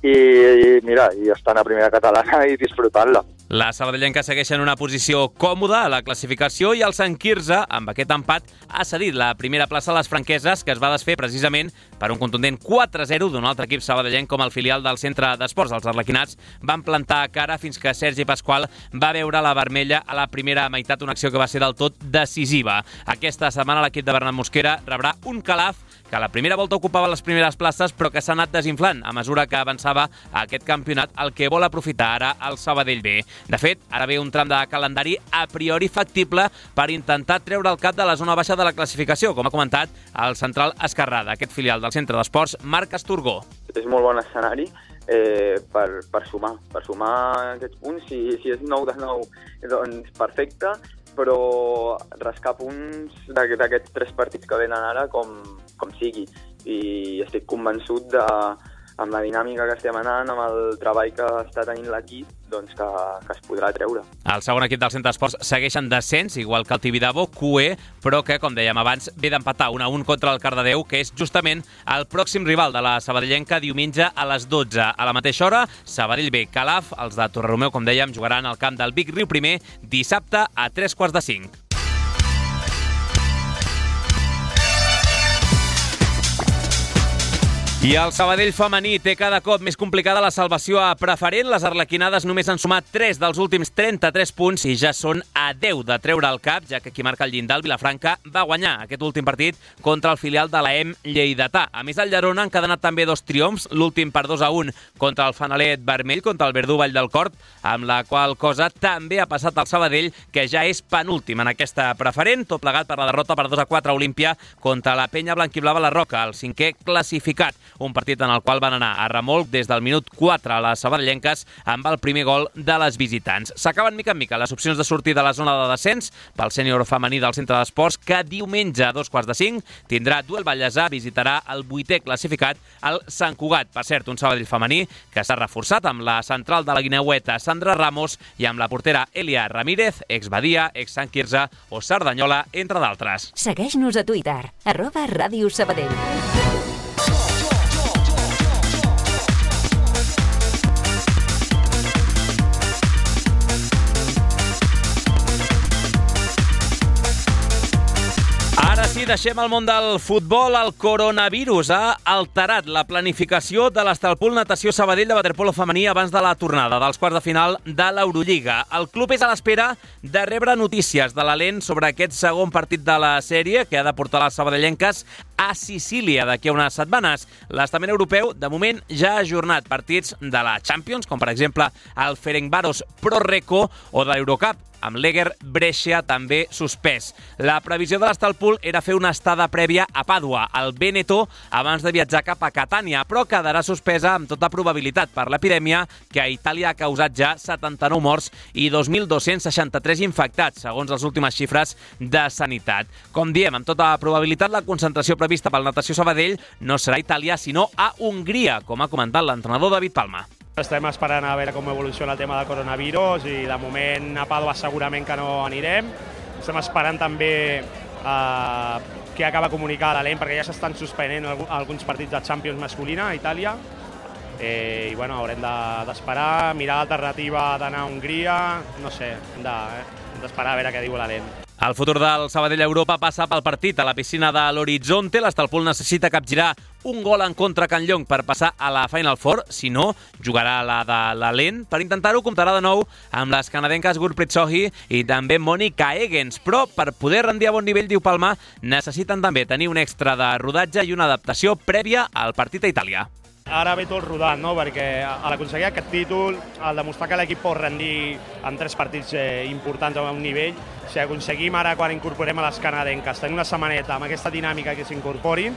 i, i mira, i estan a primera catalana i disfrutant-la. La sabadellenca segueix en una posició còmoda a la classificació i el Sant Quirze, amb aquest empat, ha cedit la primera plaça a les franqueses, que es va desfer precisament per un contundent quatre a zero d'un altre equip sabadellenc com el filial del centre d'esports. Els arlequinats van plantar cara fins que Sergi Pasqual va veure la vermella a la primera meitat, una acció que va ser del tot decisiva. Aquesta setmana l'equip de Bernat Mosquera rebrà un Calaf que a la primera volta ocupava les primeres places però que s'ha anat desinflant a mesura que avançava a aquest campionat, el que vol aprofitar ara el Sabadell B. De fet, ara ve un tram de calendari a priori factible per intentar treure el cap de la zona baixa de la classificació, com ha comentat el central esquerrà d'aquest filial del centre d'esports, Marc Asturgó. És molt bon escenari eh, per, per sumar, per sumar aquests punts. Si, si és nou de nou, doncs perfecte, però rascar punts d'aquests tres partits que venen ara com, com sigui. I estic convençut de, amb la dinàmica que estem anant, amb el treball que està tenint l'equip, doncs que, que es podrà treure. El segon equip del centre d'esports segueix en descens, igual que el Tibidabo, Q E, però que, com dèiem abans, ve d'empatar un a un contra el Cardedeu, que és justament el pròxim rival de la sabadellenca diumenge a les dotze. A la mateixa hora, Sabadell B, Calaf, els de Torre-Romeu, com dèiem, jugaran al camp del Vic Riu primer dissabte a tres quarts de cinc. I el Sabadell femení té cada cop més complicada la salvació a preferent. Les arlequinades només han sumat tres dels últims trenta-tres punts i ja són a deu de treure el cap, ja que qui marca el llindar, el Vilafranca, va guanyar aquest últim partit contra el filial de l'A E M lleidatà. A més, al Llerona han encadenat també dos triomfs, l'últim per dos a un contra el Fanalet vermell, contra el Verdú Vall del Corp, amb la qual cosa també ha passat al Sabadell, que ja és penúltim en aquesta preferent, tot plegat per la derrota per dos a quatre a Olímpia contra la Penya Blanquiblava la Roca, el cinquè classificat. Un partit en el qual van anar a remolc des del minut quatre a les sabadellenques amb el primer gol de les visitants. S'acaben mica en mica les opcions de sortir de la zona de descens pel sènior femení del Centre d'Esports, que diumenge a dos quarts de cinc tindrà duel Vallèsà, visitarà el vuitè classificat, el Sant Cugat. Per cert, un Sabadell femení que s'ha reforçat amb la central de la Guineueta Sandra Ramos i amb la portera Elia Ramírez, ex-Badia, ex-Sant Quirze o Cerdanyola, entre d'altres. Segueix-nos a Twitter, arroba Ràdio Sabadell. Sí, deixem el món del futbol. El coronavirus ha alterat la planificació de l'Estalpul Natació Sabadell de waterpolo femení abans de la tornada dels quarts de final de l'Eurolliga. El club és a l'espera de rebre notícies de l'Alent sobre aquest segon partit de la sèrie que ha de portar les sabadellenques a Sicília d'aquí a unes setmanes. L'estament europeu, de moment, ja ha ajornat partits de la Champions, com per exemple el Ferencváros Pro Reco o de l'Eurocup, amb l'Eger Brescia també suspès. La previsió de l'Estalpul era fer una estada prèvia a Pàdua, al Veneto, abans de viatjar cap a Catània, però quedarà suspesa amb tota probabilitat per l'epidèmia que a Itàlia ha causat ja setanta-nou morts i dos mil dos-cents seixanta-tres infectats, segons les últimes xifres de Sanitat. Com diem, amb tota probabilitat, la concentració prevista pel Natació Sabadell no serà a Itàlia, sinó a Hongria, com ha comentat l'entrenador David Palma. Estem esperant a veure com evoluciona el tema del coronavirus i de moment a Pàdua segurament que no anirem. Estem esperant també eh, què acaba de comunicar l'Alent, perquè ja s'estan suspenent alguns partits de Champions masculina a Itàlia. Eh, I bueno, haurem d'esperar, mirar l'alternativa d'anar a Hongria, no sé, hem d'esperar a veure què diu l'Alent. El futur del Sabadell a Europa passa pel partit a la piscina de l'Horizonte. L'Estalpul necessita capgirar un gol en contra a Can Llong per passar a la Final Four. Si no, jugarà la de l'Alent. Per intentar-ho, comptarà de nou amb les canadenques Gurpreet Sohi i també Monica Egens. Però per poder rendir a bon nivell, diu Palma, necessiten també tenir un extra de rodatge i una adaptació prèvia al partit a Itàlia. Ara ve tot rodant, no? Perquè a l'aconseguir aquest títol, al demostrar que l'equip pot rendir en tres partits eh, importants a un nivell, si aconseguim ara, quan incorporem a les canadenques, tenir una setmaneta amb aquesta dinàmica que s'incorporin,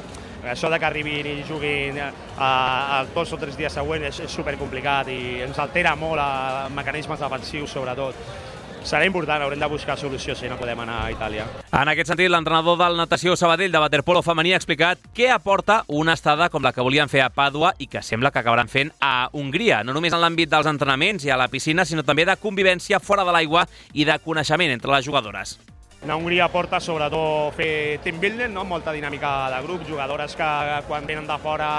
això de que arribin i juguin els dos o tres dies següents és, és supercomplicat i ens altera molt els mecanismes defensius, sobretot. Serà important, haurem de buscar solució si no podem anar a Itàlia. En aquest sentit, l'entrenador del Natació Sabadell de waterpolo femení ha explicat què aporta una estada com la que volien fer a Pàdua i que sembla que acabaran fent a Hongria, no només en l'àmbit dels entrenaments i a la piscina, sinó també de convivència fora de l'aigua i de coneixement entre les jugadores. A Hongria porta sobretot fer team building, no? Molta dinàmica de grup, jugadores que quan venen de fora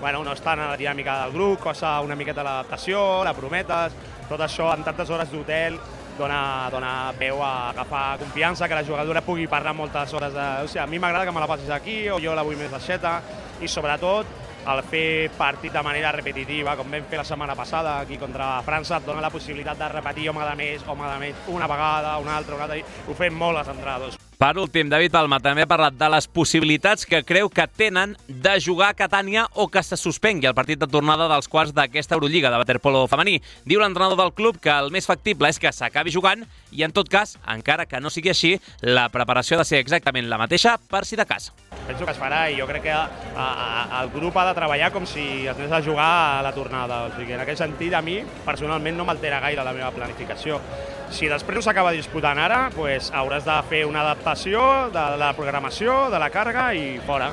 bueno, no estan a la dinàmica del grup, costa una miqueta l'adaptació, la prometes, tot això en tantes hores d'hotel dona, dona peu a agafar confiança, que la jugadora pugui parlar moltes hores de... O sigui, a mi m'agrada que me la passis aquí o jo la vull més baixeta i sobretot el fer partit de manera repetitiva, com vam fer la setmana passada aquí contra França, et dona la possibilitat de repetir home de més, home de més, una vegada, una altra, una altra, ho fem molt els entrenadors. Per últim, David Palma també ha parlat de les possibilitats que creu que tenen de jugar a Catània o que se suspengui el partit de tornada dels quarts d'aquesta Eurolliga de waterpolo femení. Diu l'entrenador del club que el més factible és que s'acabi jugant i, en tot cas, encara que no sigui així, la preparació ha de ser exactament la mateixa per si de cas. Penso que es farà i jo crec que a, a, el grup ha de treballar com si es anés a jugar a la tornada. O sigui, en aquest sentit, a mi, personalment, no m'altera gaire la meva planificació. Si després no s'acaba disputant ara, pues, hauràs de fer una adaptació de la programació, de la càrrega i fora.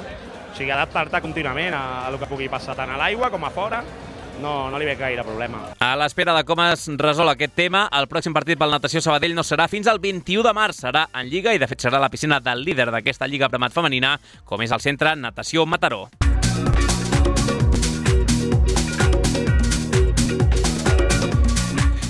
O sigui, adaptar-te contínuament a, a el que pugui passar tant a l'aigua com a fora. No, no li ve gaire problema. A l'espera de com es resol aquest tema, el pròxim partit pel Natació Sabadell no serà fins al vint-i-u de març. Serà en Lliga i, de fet, serà la piscina del líder d'aquesta Lliga Premat femenina, com és el Centre Natació Mataró.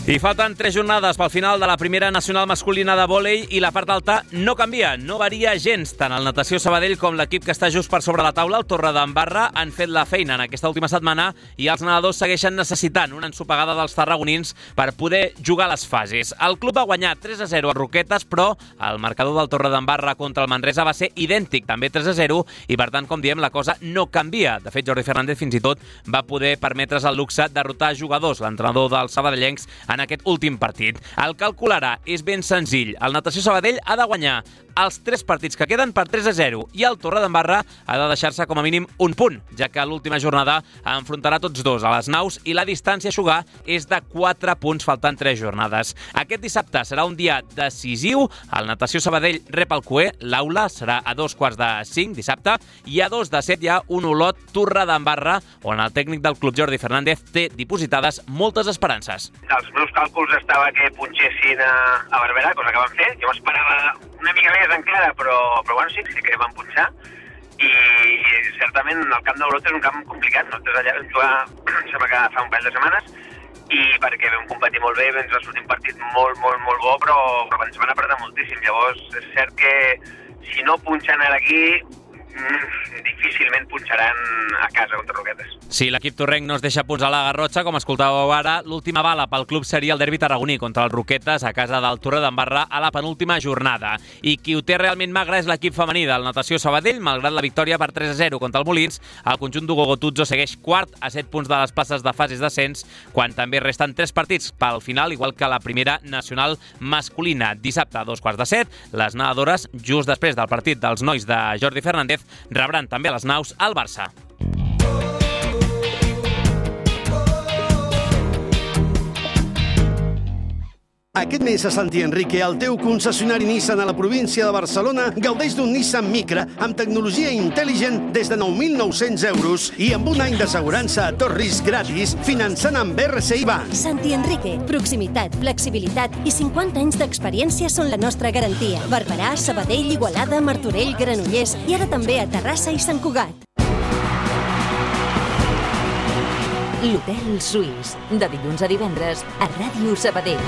I falten tres jornades pel final de la primera nacional masculina de vòlei i la part alta no canvia, no varia gens. Tant el Natació Sabadell com l'equip que està just per sobre la taula, el Torredembarra, han fet la feina en aquesta última setmana i els nedadors segueixen necessitant una ensopegada dels tarragonins per poder jugar les fases. El club va guanyar tres a zero a Roquetes, però el marcador del Torredembarra contra el Manresa va ser idèntic, també tres a zero, i per tant, com diem, la cosa no canvia. De fet, Jordi Fernández fins i tot va poder permetre's el luxe de derrotar jugadors, l'entrenador dels sabadellencs, en aquest últim partit. El càlcul ara és ben senzill. El Natació Sabadell ha de guanyar els tres partits que queden per tres a zero i el Torredembarra ha de deixar-se com a mínim un punt, ja que l'última jornada enfrontarà tots dos a les naus i la distància a jugar és de quatre punts faltant tres jornades. Aquest dissabte serà un dia decisiu. El Natació Sabadell rep el Cué, l'aula serà a dos quarts de cinc dissabte i a dos de set hi ha un Olot Torredembarra on el tècnic del club Jordi Fernández té dipositades moltes esperances. Els meus càlculs estava que punxessin a, a Barberà, cosa que van fer. Jo m'esperava una mica més encara, però, però bueno, sí, sí que van punxar. I certament el camp d'Olot és un camp complicat. Nosaltres allà vam jugar, sembla que fa un parell de setmanes, i perquè vam competir molt bé, ens va sortir un partit molt, molt, molt bo, però, però ens van apretar moltíssim. Llavors, és cert que si no punxen ara aquí, mm, difícilment punxaran a casa contra Roquetes. Si l'equip torrenc no es deixa punts a la Garrotxa, com escoltàveu ara, l'última bala pel club seria el derbi tarragoní contra el Roquetes a casa del Torredembarra a la penúltima jornada. I qui ho té realment magre és l'equip femení del Natació Sabadell. Malgrat la victòria per tres a zero contra el Molins, el conjunt d'Hugo Gotuzzo segueix quart a set punts de les places de fases d'ascens, quan també resten tres partits pel final, igual que la primera nacional masculina. Dissabte a dos quarts de set, les nedadores, just després del partit dels nois de Jordi Fernández, rebran també a les naus al Barça. Aquest mes a Santi Enrique, el teu concessionari Nissan a la província de Barcelona gaudeix d'un Nissan Micra amb tecnologia intel·ligent des de nou mil nou-cents euros i amb un any d'assegurança a tot risc gratis finançant amb R C I Bank. Santi Enrique, proximitat, flexibilitat i cinquanta anys d'experiència són la nostra garantia. Barberà, Sabadell, Igualada, Martorell, Granollers i ara també a Terrassa i Sant Cugat. L'Hotel Suís, de dilluns a divendres a Ràdio Sabadell.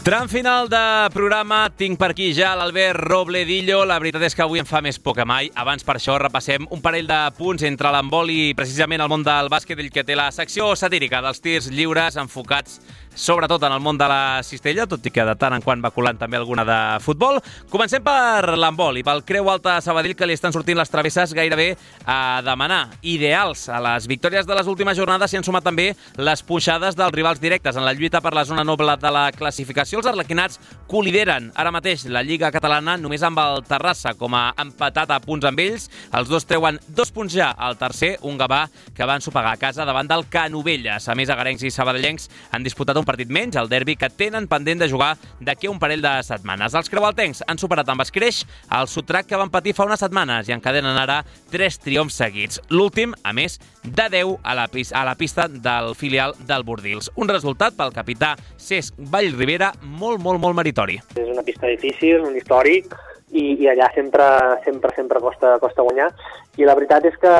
Tram final de programa, tinc per aquí ja l'Albert Robledillo. La veritat és que avui em fa més por que mai. Abans per això repassem un parell de punts entre l'handbol i precisament el món del bàsquet, ell que té la secció satírica dels tirs lliures enfocats sobretot en el món de la cistella, tot i que de tant en quant va colant també alguna de futbol. Comencem per l'handbol i pel Creu Alta Sabadell, que li estan sortint les travesses gairebé a demanar. Ideals. A les victòries de les últimes jornades s'hi han sumat també les punxades dels rivals directes en la lluita per la zona noble de la classificació. Els arlequinats colideren ara mateix la Lliga Catalana només amb el Terrassa com a empatat a punts amb ells. Els dos treuen dos punts ja al tercer, un Gavà que va ensopegar a casa davant del Canovelles. A més, agarencs i sabadellencs han disputat un partit menys, el derbi que tenen pendent de jugar d'aquí a un parell de setmanes. Els creualtencs han superat amb escreix el sotrac que van patir fa unes setmanes i encadenen ara tres triomfs seguits. L'últim, a més, de deu a la, a la pista del filial del Bordils. Un resultat pel capità Cesc Vallribera molt, molt, molt meritori. És una pista difícil, un històric, i, i allà sempre, sempre, sempre costa, costa guanyar. I la veritat és que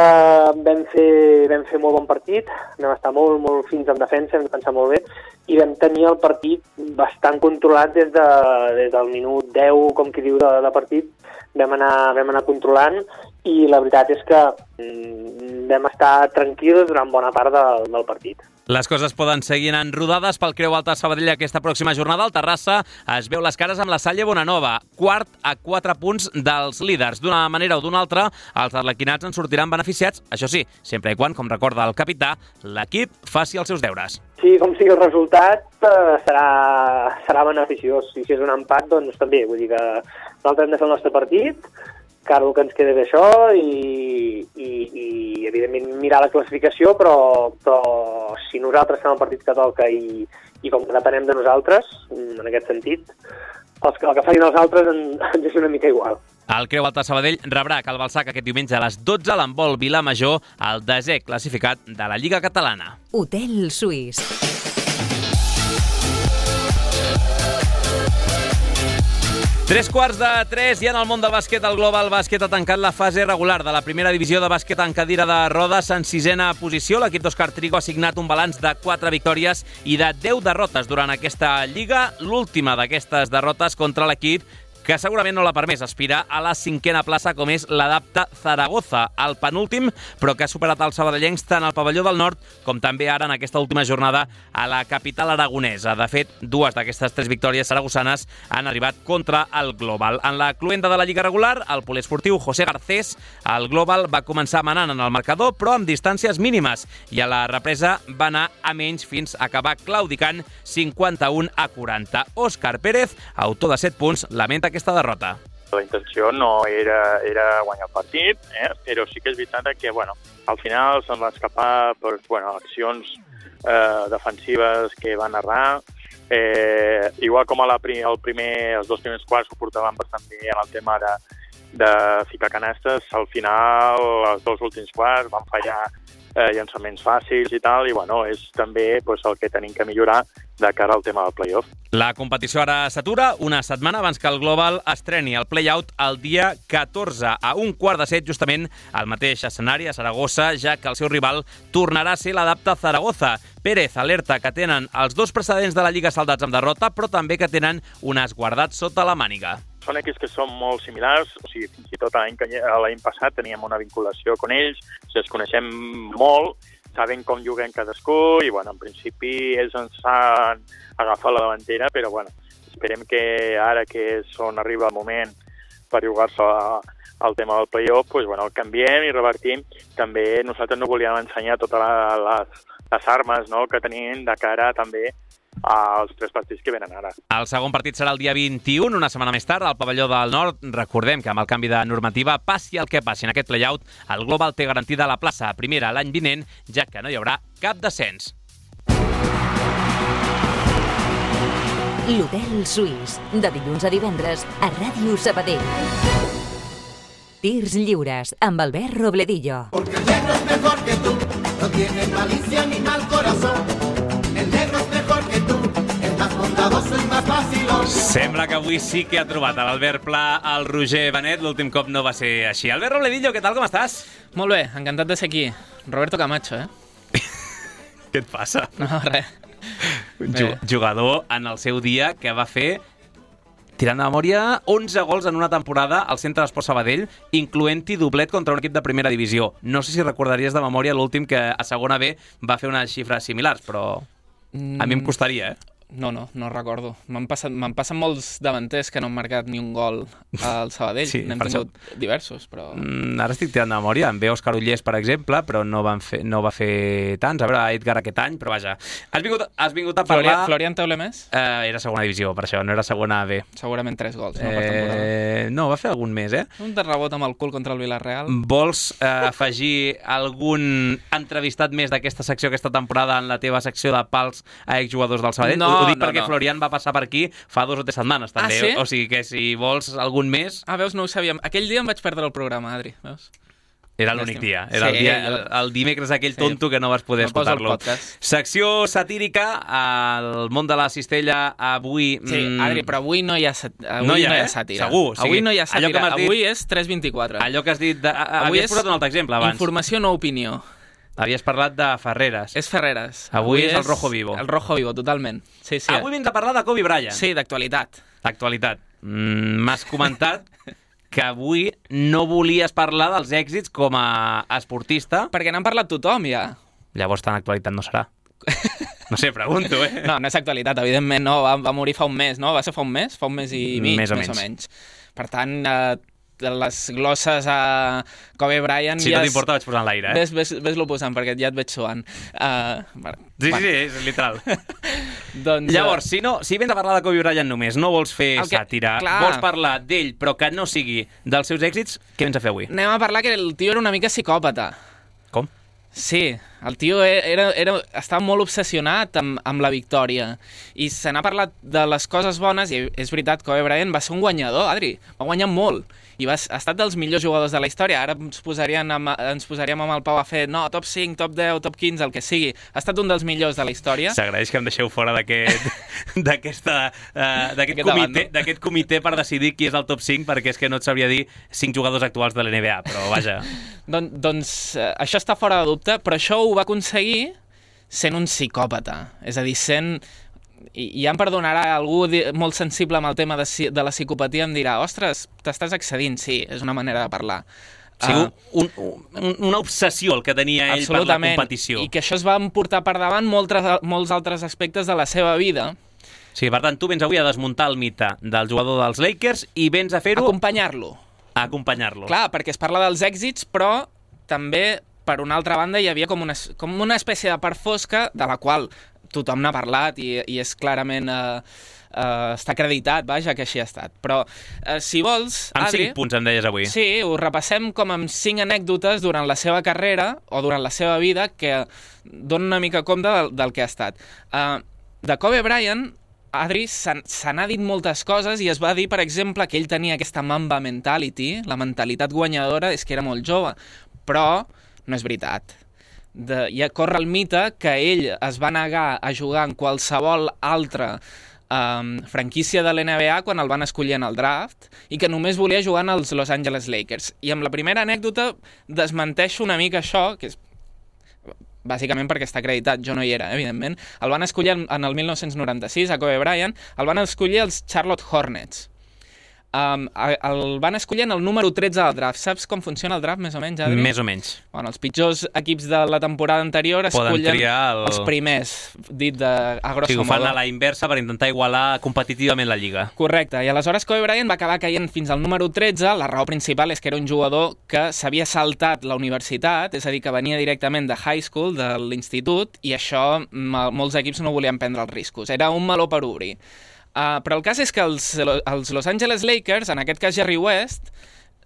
vam fer, vam fer molt bon partit, vam estar molt, molt fins en defensa, vam defensar molt bé, i vam tenir el partit bastant controlat des, de, des del minut deu, com qui diu, de, de partit. Vam anar, vam anar controlant i la veritat és que mm, vam estar tranquils durant bona part del, del partit. Les coses poden seguir en rodades pel Creu Alta Sabadell aquesta pròxima jornada. El Terrassa es veu les cares amb la Salle Bonanova, quart a quatre punts dels líders. D'una manera o d'una altra, els arlequinats en sortiran beneficiats, això sí, sempre i quan, com recorda el capità, l'equip faci els seus deures. Sí, com sigui el resultat, eh, serà, serà beneficiós. I si és un empat, doncs també. Vull dir que nosaltres hem de fer el nostre partit, que ara el que ens queda és això, i, i, i evidentment mirar la classificació, però, però si nosaltres fem el partit que toca i, i com que depenem de nosaltres, en aquest sentit, el que, el que facin els altres ens és una mica igual. El Creu Alta Sabadell rebrà a Cal Balsac aquest diumenge a les dotze a l'handbol Vilamajor, el desè classificat de la Lliga Catalana. Hotel Suís. Tres quarts de tres i en el món del bàsquet, el Global Bàsquet ha tancat la fase regular de la primera divisió de bàsquet en cadira de rodes en sisena posició. L'equip d'Òscar Trigo ha signat un balanç de quatre victòries i de deu derrotes durant aquesta lliga. L'última d'aquestes derrotes contra l'equip que segurament no l'ha permès aspirar a la cinquena plaça, com és l'Adapta Zaragoza, el penúltim, però que ha superat els sabadellencs tant al pavelló del nord com també ara en aquesta última jornada a la capital aragonesa. De fet, dues d'aquestes tres victòries saragossanes han arribat contra el Global. En la cluenda de la Lliga regular, el poliesportiu José Garcés, el Global va començar manant en el marcador, però amb distàncies mínimes, i a la represa va anar a menys fins a acabar claudicant cinquanta-un a quaranta. Òscar Pérez, autor de set punts, lamenta aquesta derrota. La intenció no era, era guanyar el partit, eh? Però sí que és veritat que bueno, al final se'n va escapar per bueno, accions eh, defensives que van errar. Eh, igual com a la, el primer, els dos primers quarts ho portaven bastant bé en el tema de, de ficar canastes, al final els dos últims quarts van fallar eh, llançaments fàcils i tal, i bueno, és també pues, el que tenim que millorar de cara al tema del play-off. La competició ara s'atura una setmana abans que el Global estreni el play-out el dia catorze a un quart de set, justament al mateix escenari a Saragossa, ja que el seu rival tornarà a ser l'Adapta Zaragoza. Pérez alerta que tenen els dos precedents de la Lliga saldats amb derrota, però també que tenen un as guardat sota la màniga. Són equips que són molt similars, o sigui, fins i tot l'any passat teníem una vinculació amb ells, o sigui, es coneixem molt, saben com juguen cadascú i, bueno, en principi ells ens han agafat la davantera, però, bueno, esperem que ara que són arriba el moment per jugar-se al tema del play-off, pues, bueno, el canviem i revertim. També nosaltres no volíem ensenyar totes les, les armes, no?, que tenim de cara també als tres partits que venen ara. El segon partit serà el dia vint-i-u, una setmana més tard, al pavelló del nord. Recordem que amb el canvi de normativa, passi el que passi en aquest play-out, el Global té garantida la plaça a primera l'any vinent, ja que no hi haurà cap descens. L'Hotel Suís, de dilluns a divendres, a Ràdio Sabadell. Tirs lliures, amb Albert Robledillo. Porque el negro es mejor que tú, no tiene malicia ni mal corazón. El negro es mejor que tú, es más bondadoso y más fácil. Sembla que avui sí que ha trobat a l'Albert Pla el Roger Benet, l'últim cop no va ser així. Albert Robledillo, què tal, com estàs? Molt bé, encantat de ser aquí. Roberto Camacho, eh? Què et passa? No, res. Un jugador en el seu dia que va fer, tirant de memòria, onze gols en una temporada al Centre d'Esport Sabadell, incloent-hi doblet contra un equip de primera divisió. No sé si recordaries de memòria l'últim que a segona B va fer unes xifres similars, però a mi em costaria, eh? No, no, no recordo. M'han passat, m'han passat molts davanters que no han marcat ni un gol al Sabadell. Sí, n'hem per tingut això. diversos, però... Mm, ara estic tirant de memòria. En ve Òscar Ullés, per exemple, però no, van fer, no va fer tants. A veure, Edgar aquest any, però vaja. Has vingut, has vingut a parlar... Florian, Florian Teulemés? Eh, era segona divisió, per això, no era segona B. Segurament tres gols, no, eh, per temporada. No, va fer algun més, eh? Un de rebot amb el cul contra el Villarreal. Vols eh, afegir algun entrevistat més d'aquesta secció aquesta temporada en la teva secció de pals a exjugadors del Sabadell? No, ho dic no, perquè no. Florian va passar per aquí fa dos o tres setmanes, també. Ah, sí? O sigui que si vols algun més... Ah, veus, no ho sabíem. Aquell dia em vaig perdre el programa, Adri, veus? Era l'únic dia. Era sí, el, dia el, el dimecres aquell sí. tonto que no vas poder escoltar-lo. Secció satírica, al món de la cistella, avui... Sí, Adri, però avui no hi ha, sat... avui no hi ha, no hi ha eh? sàtira. Segur. O sigui, avui no hi ha sàtira. Dit... Avui és tres vint-i-quatre. Allò que has dit... De... Avui havies posat un altre exemple abans. Informació, no opinió. Havies parlat de Ferreres. És Ferreres. Avui, avui és el Rojo Vivo. El Rojo Vivo, totalment. Sí, sí. Avui vens a parlar de Kobe Bryant. Sí, d'actualitat. D'actualitat. Mm, m'has comentat que avui no volies parlar dels èxits com a esportista. Perquè n'han parlat tothom, ja. Llavors tan actualitat no serà. No sé, pregunto, eh? No, no és actualitat, evidentment, no. Va, va morir fa un mes, no? Va ser fa un mes? Fa un mes i mig, més o més menys. o menys. Per tant, eh, les glosses a Kobe Bryant... Si no t'importa, vaig posant l'aire, eh? Ves, ves, ves-lo posant, perquè ja et veig suant. Uh, sí, sí, sí, és literal. doncs, Llavors, si, no, si vens a parlar de Kobe Bryant només, no vols fer que, sàtira, clar. vols parlar d'ell, però que no sigui dels seus èxits, què vens a fer avui? Anem a parlar que el tio era una mica psicòpata. Com? Sí, el tio era, era, estava molt obsessionat amb, amb la victòria i se n'ha parlat de les coses bones i és veritat, Kobe Bryant va ser un guanyador, Adri, va guanyar molt i va, ha estat dels millors jugadors de la història. Ara ens, amb, ens posaríem amb el Pau a fer no, top cinc, top deu, top quinze, el que sigui. Ha estat un dels millors de la història. S'agraeix que em deixeu fora d'aquest d'aquesta, uh, d'aquest comitè, d'aquest comitè per decidir qui és el top cinc, perquè és que no et sabria dir cinc jugadors actuals de l'N B A, però vaja. Don, doncs uh, això està fora de dubte, però això ho va aconseguir sent un psicòpata. És a dir, sent... I ja em perdonarà algú molt sensible amb el tema de, de la psicopatia, em dirà, ostres, t'estàs excedint, sí, és una manera de parlar. O sigui, un, un, una obsessió el que tenia ell per la competició. I que això es va portar per davant moltes, molts altres aspectes de la seva vida. Sí, per tant, tu vens avui a desmuntar el mite del jugador dels Lakers i vens a fer-ho... Acompanyar-lo. A acompanyar-lo. Clar, perquè es parla dels èxits, però també, per una altra banda, hi havia com una, com una espècie de part fosca de la qual tothom n'ha parlat i, i és clarament... Eh, Uh, està acreditat, vaja, que així ha estat. Però, uh, si vols, amb Adri... cinc punts, em deies avui. Sí, ho repassem com amb cinc anècdotes durant la seva carrera o durant la seva vida que donen una mica compte del, del que ha estat. Uh, de Kobe Bryant, Adri, se n'ha dit moltes coses i es va dir, per exemple, que ell tenia aquesta Mamba mentality, la mentalitat guanyadora, és que era molt jove. Però no és veritat. De, ja corre el mite que ell es va negar a jugar en qualsevol altre Um, franquícia de l'N B A quan el van escollir en el draft i que només volia jugar en els Los Angeles Lakers. I amb la primera anècdota desmenteixo una mica això, que és bàsicament perquè està acreditat, jo no hi era, evidentment. El van escollir en el mil nou-cents noranta-sis, a Kobe Bryant, el van escollir els Charlotte Hornets. Um, el van escollir en el número tretze del draft. Saps com funciona el draft, més o menys, Adri? Més o menys. Bueno, els pitjors equips de la temporada anterior escollen el... els primers, dit de, a grosso modo. Sí, ho fan modo. a la inversa per intentar igualar competitivament la lliga. Correcte, i aleshores Kobe Bryant va acabar caient fins al número tretze. La raó principal és que era un jugador que s'havia saltat la universitat, és a dir, que venia directament de high school, de l'institut, i això molts equips no volien prendre els riscos. Era un meló per obrir. Uh, però el cas és que els, els Los Angeles Lakers, en aquest cas Jerry West,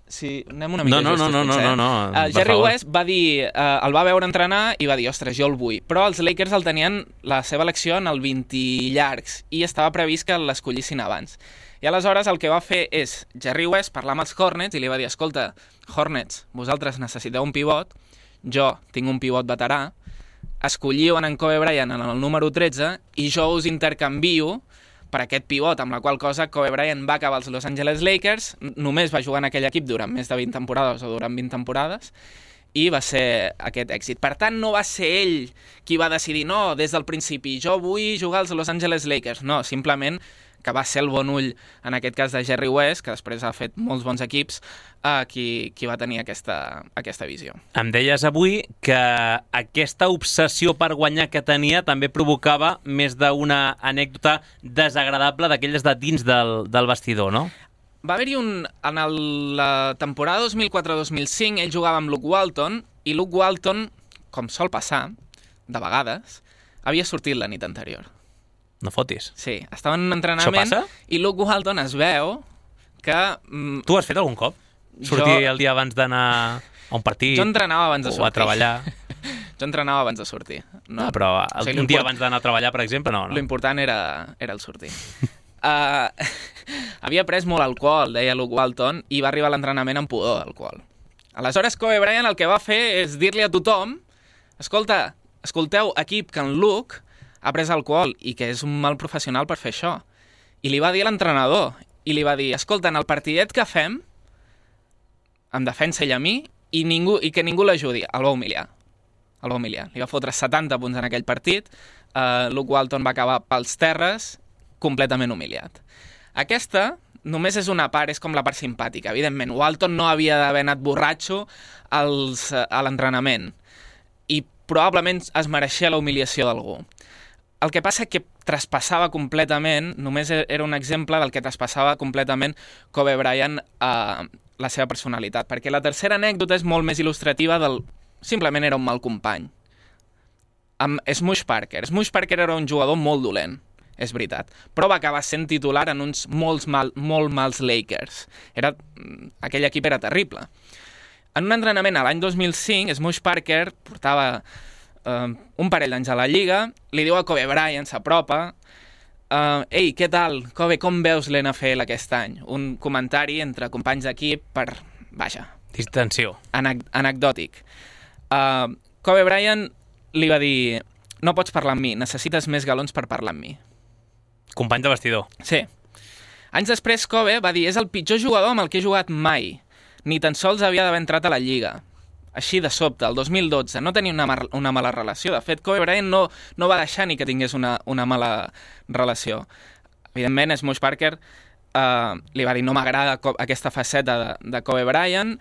si anem una mica no, no, justos, no, no, potser, no, no, uh, Jerry West va dir, uh, el va veure entrenar i va dir, ostres, jo el vull. Però els Lakers el tenien la seva elecció en el vint llargs i estava previst que l'escollissin abans. I aleshores el que va fer és, Jerry West parlar amb els Hornets i li va dir, escolta, Hornets, vosaltres necessiteu un pivot, jo tinc un pivot veterà, escolliu en Kobe Bryant en el número tretze i jo us intercanvio per aquest pivot, amb la qual cosa Kobe Bryant va acabar als Los Angeles Lakers, només va jugar en aquell equip durant més de vint temporades o durant vint temporades, i va ser aquest èxit. Per tant, no va ser ell qui va decidir, no, des del principi, jo vull jugar als Los Angeles Lakers. No, simplement que va ser el bon ull, en aquest cas de Jerry West, que després ha fet molts bons equips, eh, qui, qui va tenir aquesta, aquesta visió. Em deies avui que aquesta obsessió per guanyar que tenia també provocava més d'una anècdota desagradable d'aquelles de dins del, del vestidor, no? Va haver-hi un... En el, la temporada dos mil quatre dos mil cinc, ell jugava amb Luke Walton, i Luke Walton, com sol passar, de vegades, havia sortit la nit anterior. No fotis. Sí, estava en un entrenament i Luke Walton es veu que... Mm, tu has fet algun cop? Sortir jo... el dia abans d'anar a un partit? Jo entrenava abans de sortir. O a treballar? Jo entrenava abans de sortir. No, no però el, o sigui, un dia abans d'anar a treballar, per exemple, no. no. L'important era, era el sortir. uh, havia pres molt alcohol, deia Luke Walton, i va arribar a l'entrenament amb pudor d'alcohol. Aleshores, Kobe Bryant el que va fer és dir-li a tothom, escolta, escolteu, equip, que en Luke ha pres alcohol i que és un mal professional per fer això. I li va dir a l'entrenador, i li va dir, escolta, en el partidet que fem, em defensa ell a mi, i, ningú, i que ningú l'ajudi. El va humiliar. El va humiliar. Li va fotre setanta punts en aquell partit, uh, Luke Walton va acabar pels terres, completament humiliat. Aquesta només és una part, és com la part simpàtica. Evidentment, Walton no havia d'haver anat borratxo als, a l'entrenament, i probablement es mereixia la humiliació d'algú. El que passa que traspassava completament, només era un exemple del que traspassava completament Kobe Bryant a la seva personalitat, perquè la tercera anècdota és molt més il·lustrativa del... Simplement era un mal company. Amb Smush Parker. Smush Parker era un jugador molt dolent, és veritat, però va acabar sent titular en uns molts mal, molt mals Lakers. Era... Aquell equip era terrible. En un entrenament a l'any dos mil cinc, Smush Parker portava... Uh, un parell d'anys a la Lliga, li diu a Kobe Bryant, s'apropa, uh, ei, què tal, Kobe, com veus l'N F L aquest any? Un comentari entre companys d'equip per, vaja... Distensió. Anec anecdòtic. Uh, Kobe Bryant li va dir, no pots parlar amb mi, necessites més galons per parlar amb mi. Company de vestidor. Sí. Anys després, Kobe va dir: és el pitjor jugador amb el que he jugat mai. Ni tan sols havia d'haver entrat a la Lliga. Així de sobte, el dos mil dotze, no tenia una, una mala relació. De fet, Kobe Bryant no, no va deixar ni que tingués una, una mala relació. Evidentment, Smush Parker uh, li va dir: no m'agrada aquesta faceta de, de Kobe Bryant.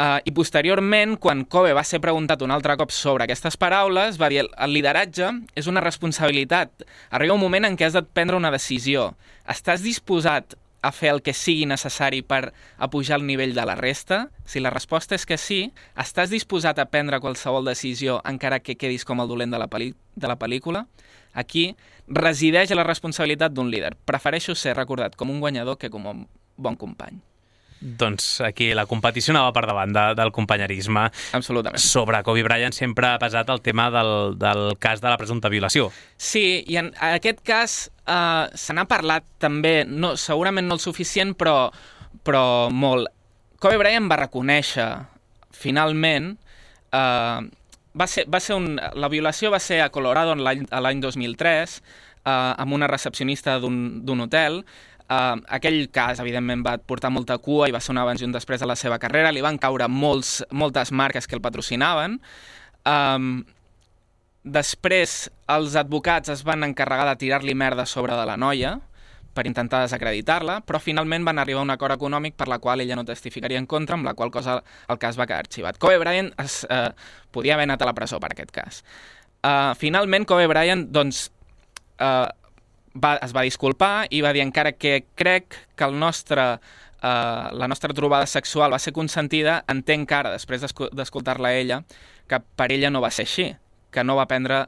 Uh, I posteriorment, quan Kobe va ser preguntat un altre cop sobre aquestes paraules, va dir: el lideratge és una responsabilitat. Arriba un moment en què has de prendre una decisió. Estàs disposat a fer el que sigui necessari per apujar el nivell de la resta? Si la resposta és que sí, estàs disposat a prendre qualsevol decisió encara que quedis com el dolent de la, pel·li de la pel·lícula? Aquí resideix la responsabilitat d'un líder. Prefereixo ser recordat com un guanyador que com un bon company. Doncs aquí la competició anava per davant de, del companyerisme. Absolutament. Sobre Kobe Bryant sempre ha pesat el tema del, del cas de la presumpta violació. Sí, i en aquest cas uh, se n'ha parlat també, no, segurament no el suficient, però, però molt. Kobe Bryant va reconèixer, finalment, uh, va ser, va ser un, la violació va ser a Colorado l'any dos mil tres, uh, amb una recepcionista d'un hotel. Uh, aquell cas, evidentment, va portar molta cua i va ser un abans i un després de la seva carrera. Li van caure molts, moltes marques que el patrocinaven. Um, després, els advocats es van encarregar de tirar-li merda sobre de la noia per intentar desacreditar-la, però finalment van arribar a un acord econòmic per la qual ella no testificaria en contra, amb la qual cosa el cas va quedar arxivat. Kobe Bryant es, uh, podia haver anat a la presó per aquest cas. Uh, finalment, Kobe Bryant, doncs, uh, Va, es va disculpar i va dir: encara que crec que el nostre, uh, la nostra trobada sexual va ser consentida, entenc ara, després d'escoltar-la a ella, que per ella no va ser així, que no va prendre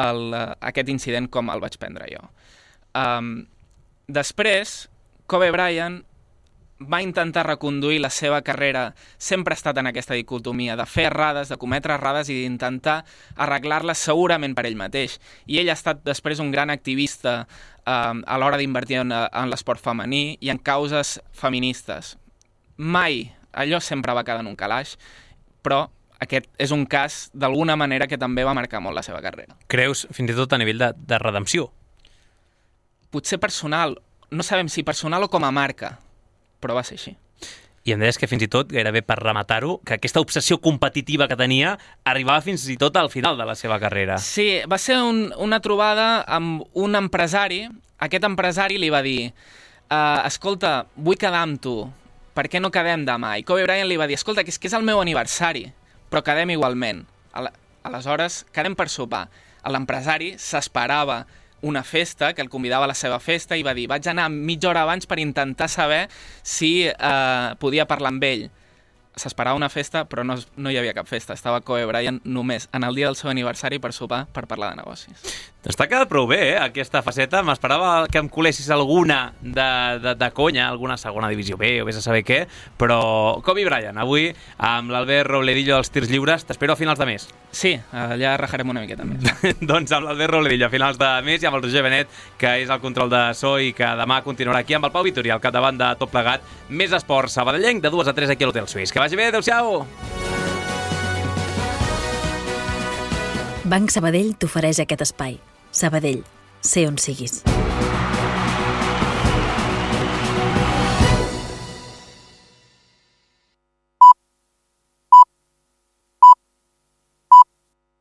el, uh, aquest incident com el vaig prendre jo. Um, després, Kobe Bryant va intentar reconduir la seva carrera, sempre ha estat en aquesta dicotomia de fer errades, de cometre errades i d'intentar arreglar-les segurament per ell mateix. I ell ha estat després un gran activista eh, a l'hora d'invertir en, en l'esport femení i en causes feministes. Mai, allò sempre va quedar en un calaix, però aquest és un cas, d'alguna manera, que també va marcar molt la seva carrera. Creus, fins i tot a nivell de, de redempció? Potser personal, no sabem si personal o com a marca, però va ser així. I em deies que fins i tot, gairebé per rematar-ho, que aquesta obsessió competitiva que tenia arribava fins i tot al final de la seva carrera. Sí, va ser un, una trobada amb un empresari. Aquest empresari li va dir: uh, escolta, vull quedar amb tu, per què no quedem demà? I Kobe Bryant li va dir: escolta, que és, que és el meu aniversari, però quedem igualment. Aleshores, quedem per sopar. L'empresari s'esperava una festa, que el convidava a la seva festa, i va dir: vaig anar mitja hora abans per intentar saber si eh, podia parlar amb ell. S'esperava una festa, però no, no hi havia cap festa. Estava Kobe Bryant només en el dia del seu aniversari per sopar, per parlar de negocis. Doncs t'ha quedat prou bé, eh, aquesta faceta. M'esperava que em colessis alguna de, de, de conya, alguna segona divisió B o vés a saber què, però Kobe Bryant, avui, amb l'Albert Robledillo als tirs lliures, t'espero a finals de mes. Sí, allà rajarem una miqueta més. Doncs amb l'Albert Robledillo a finals de mes i amb el Roger Benet, que és el control de so i que demà continuarà aquí amb el Pau Vitori, al capdavant de Tot Plegat. Més esport sabadellenc de dues a tres aquí a l'Hotel Suís. Que vagi bé, adéu-siau! Banc Sabadell t'ofereix aquest espai. Sabadell, sé on siguis.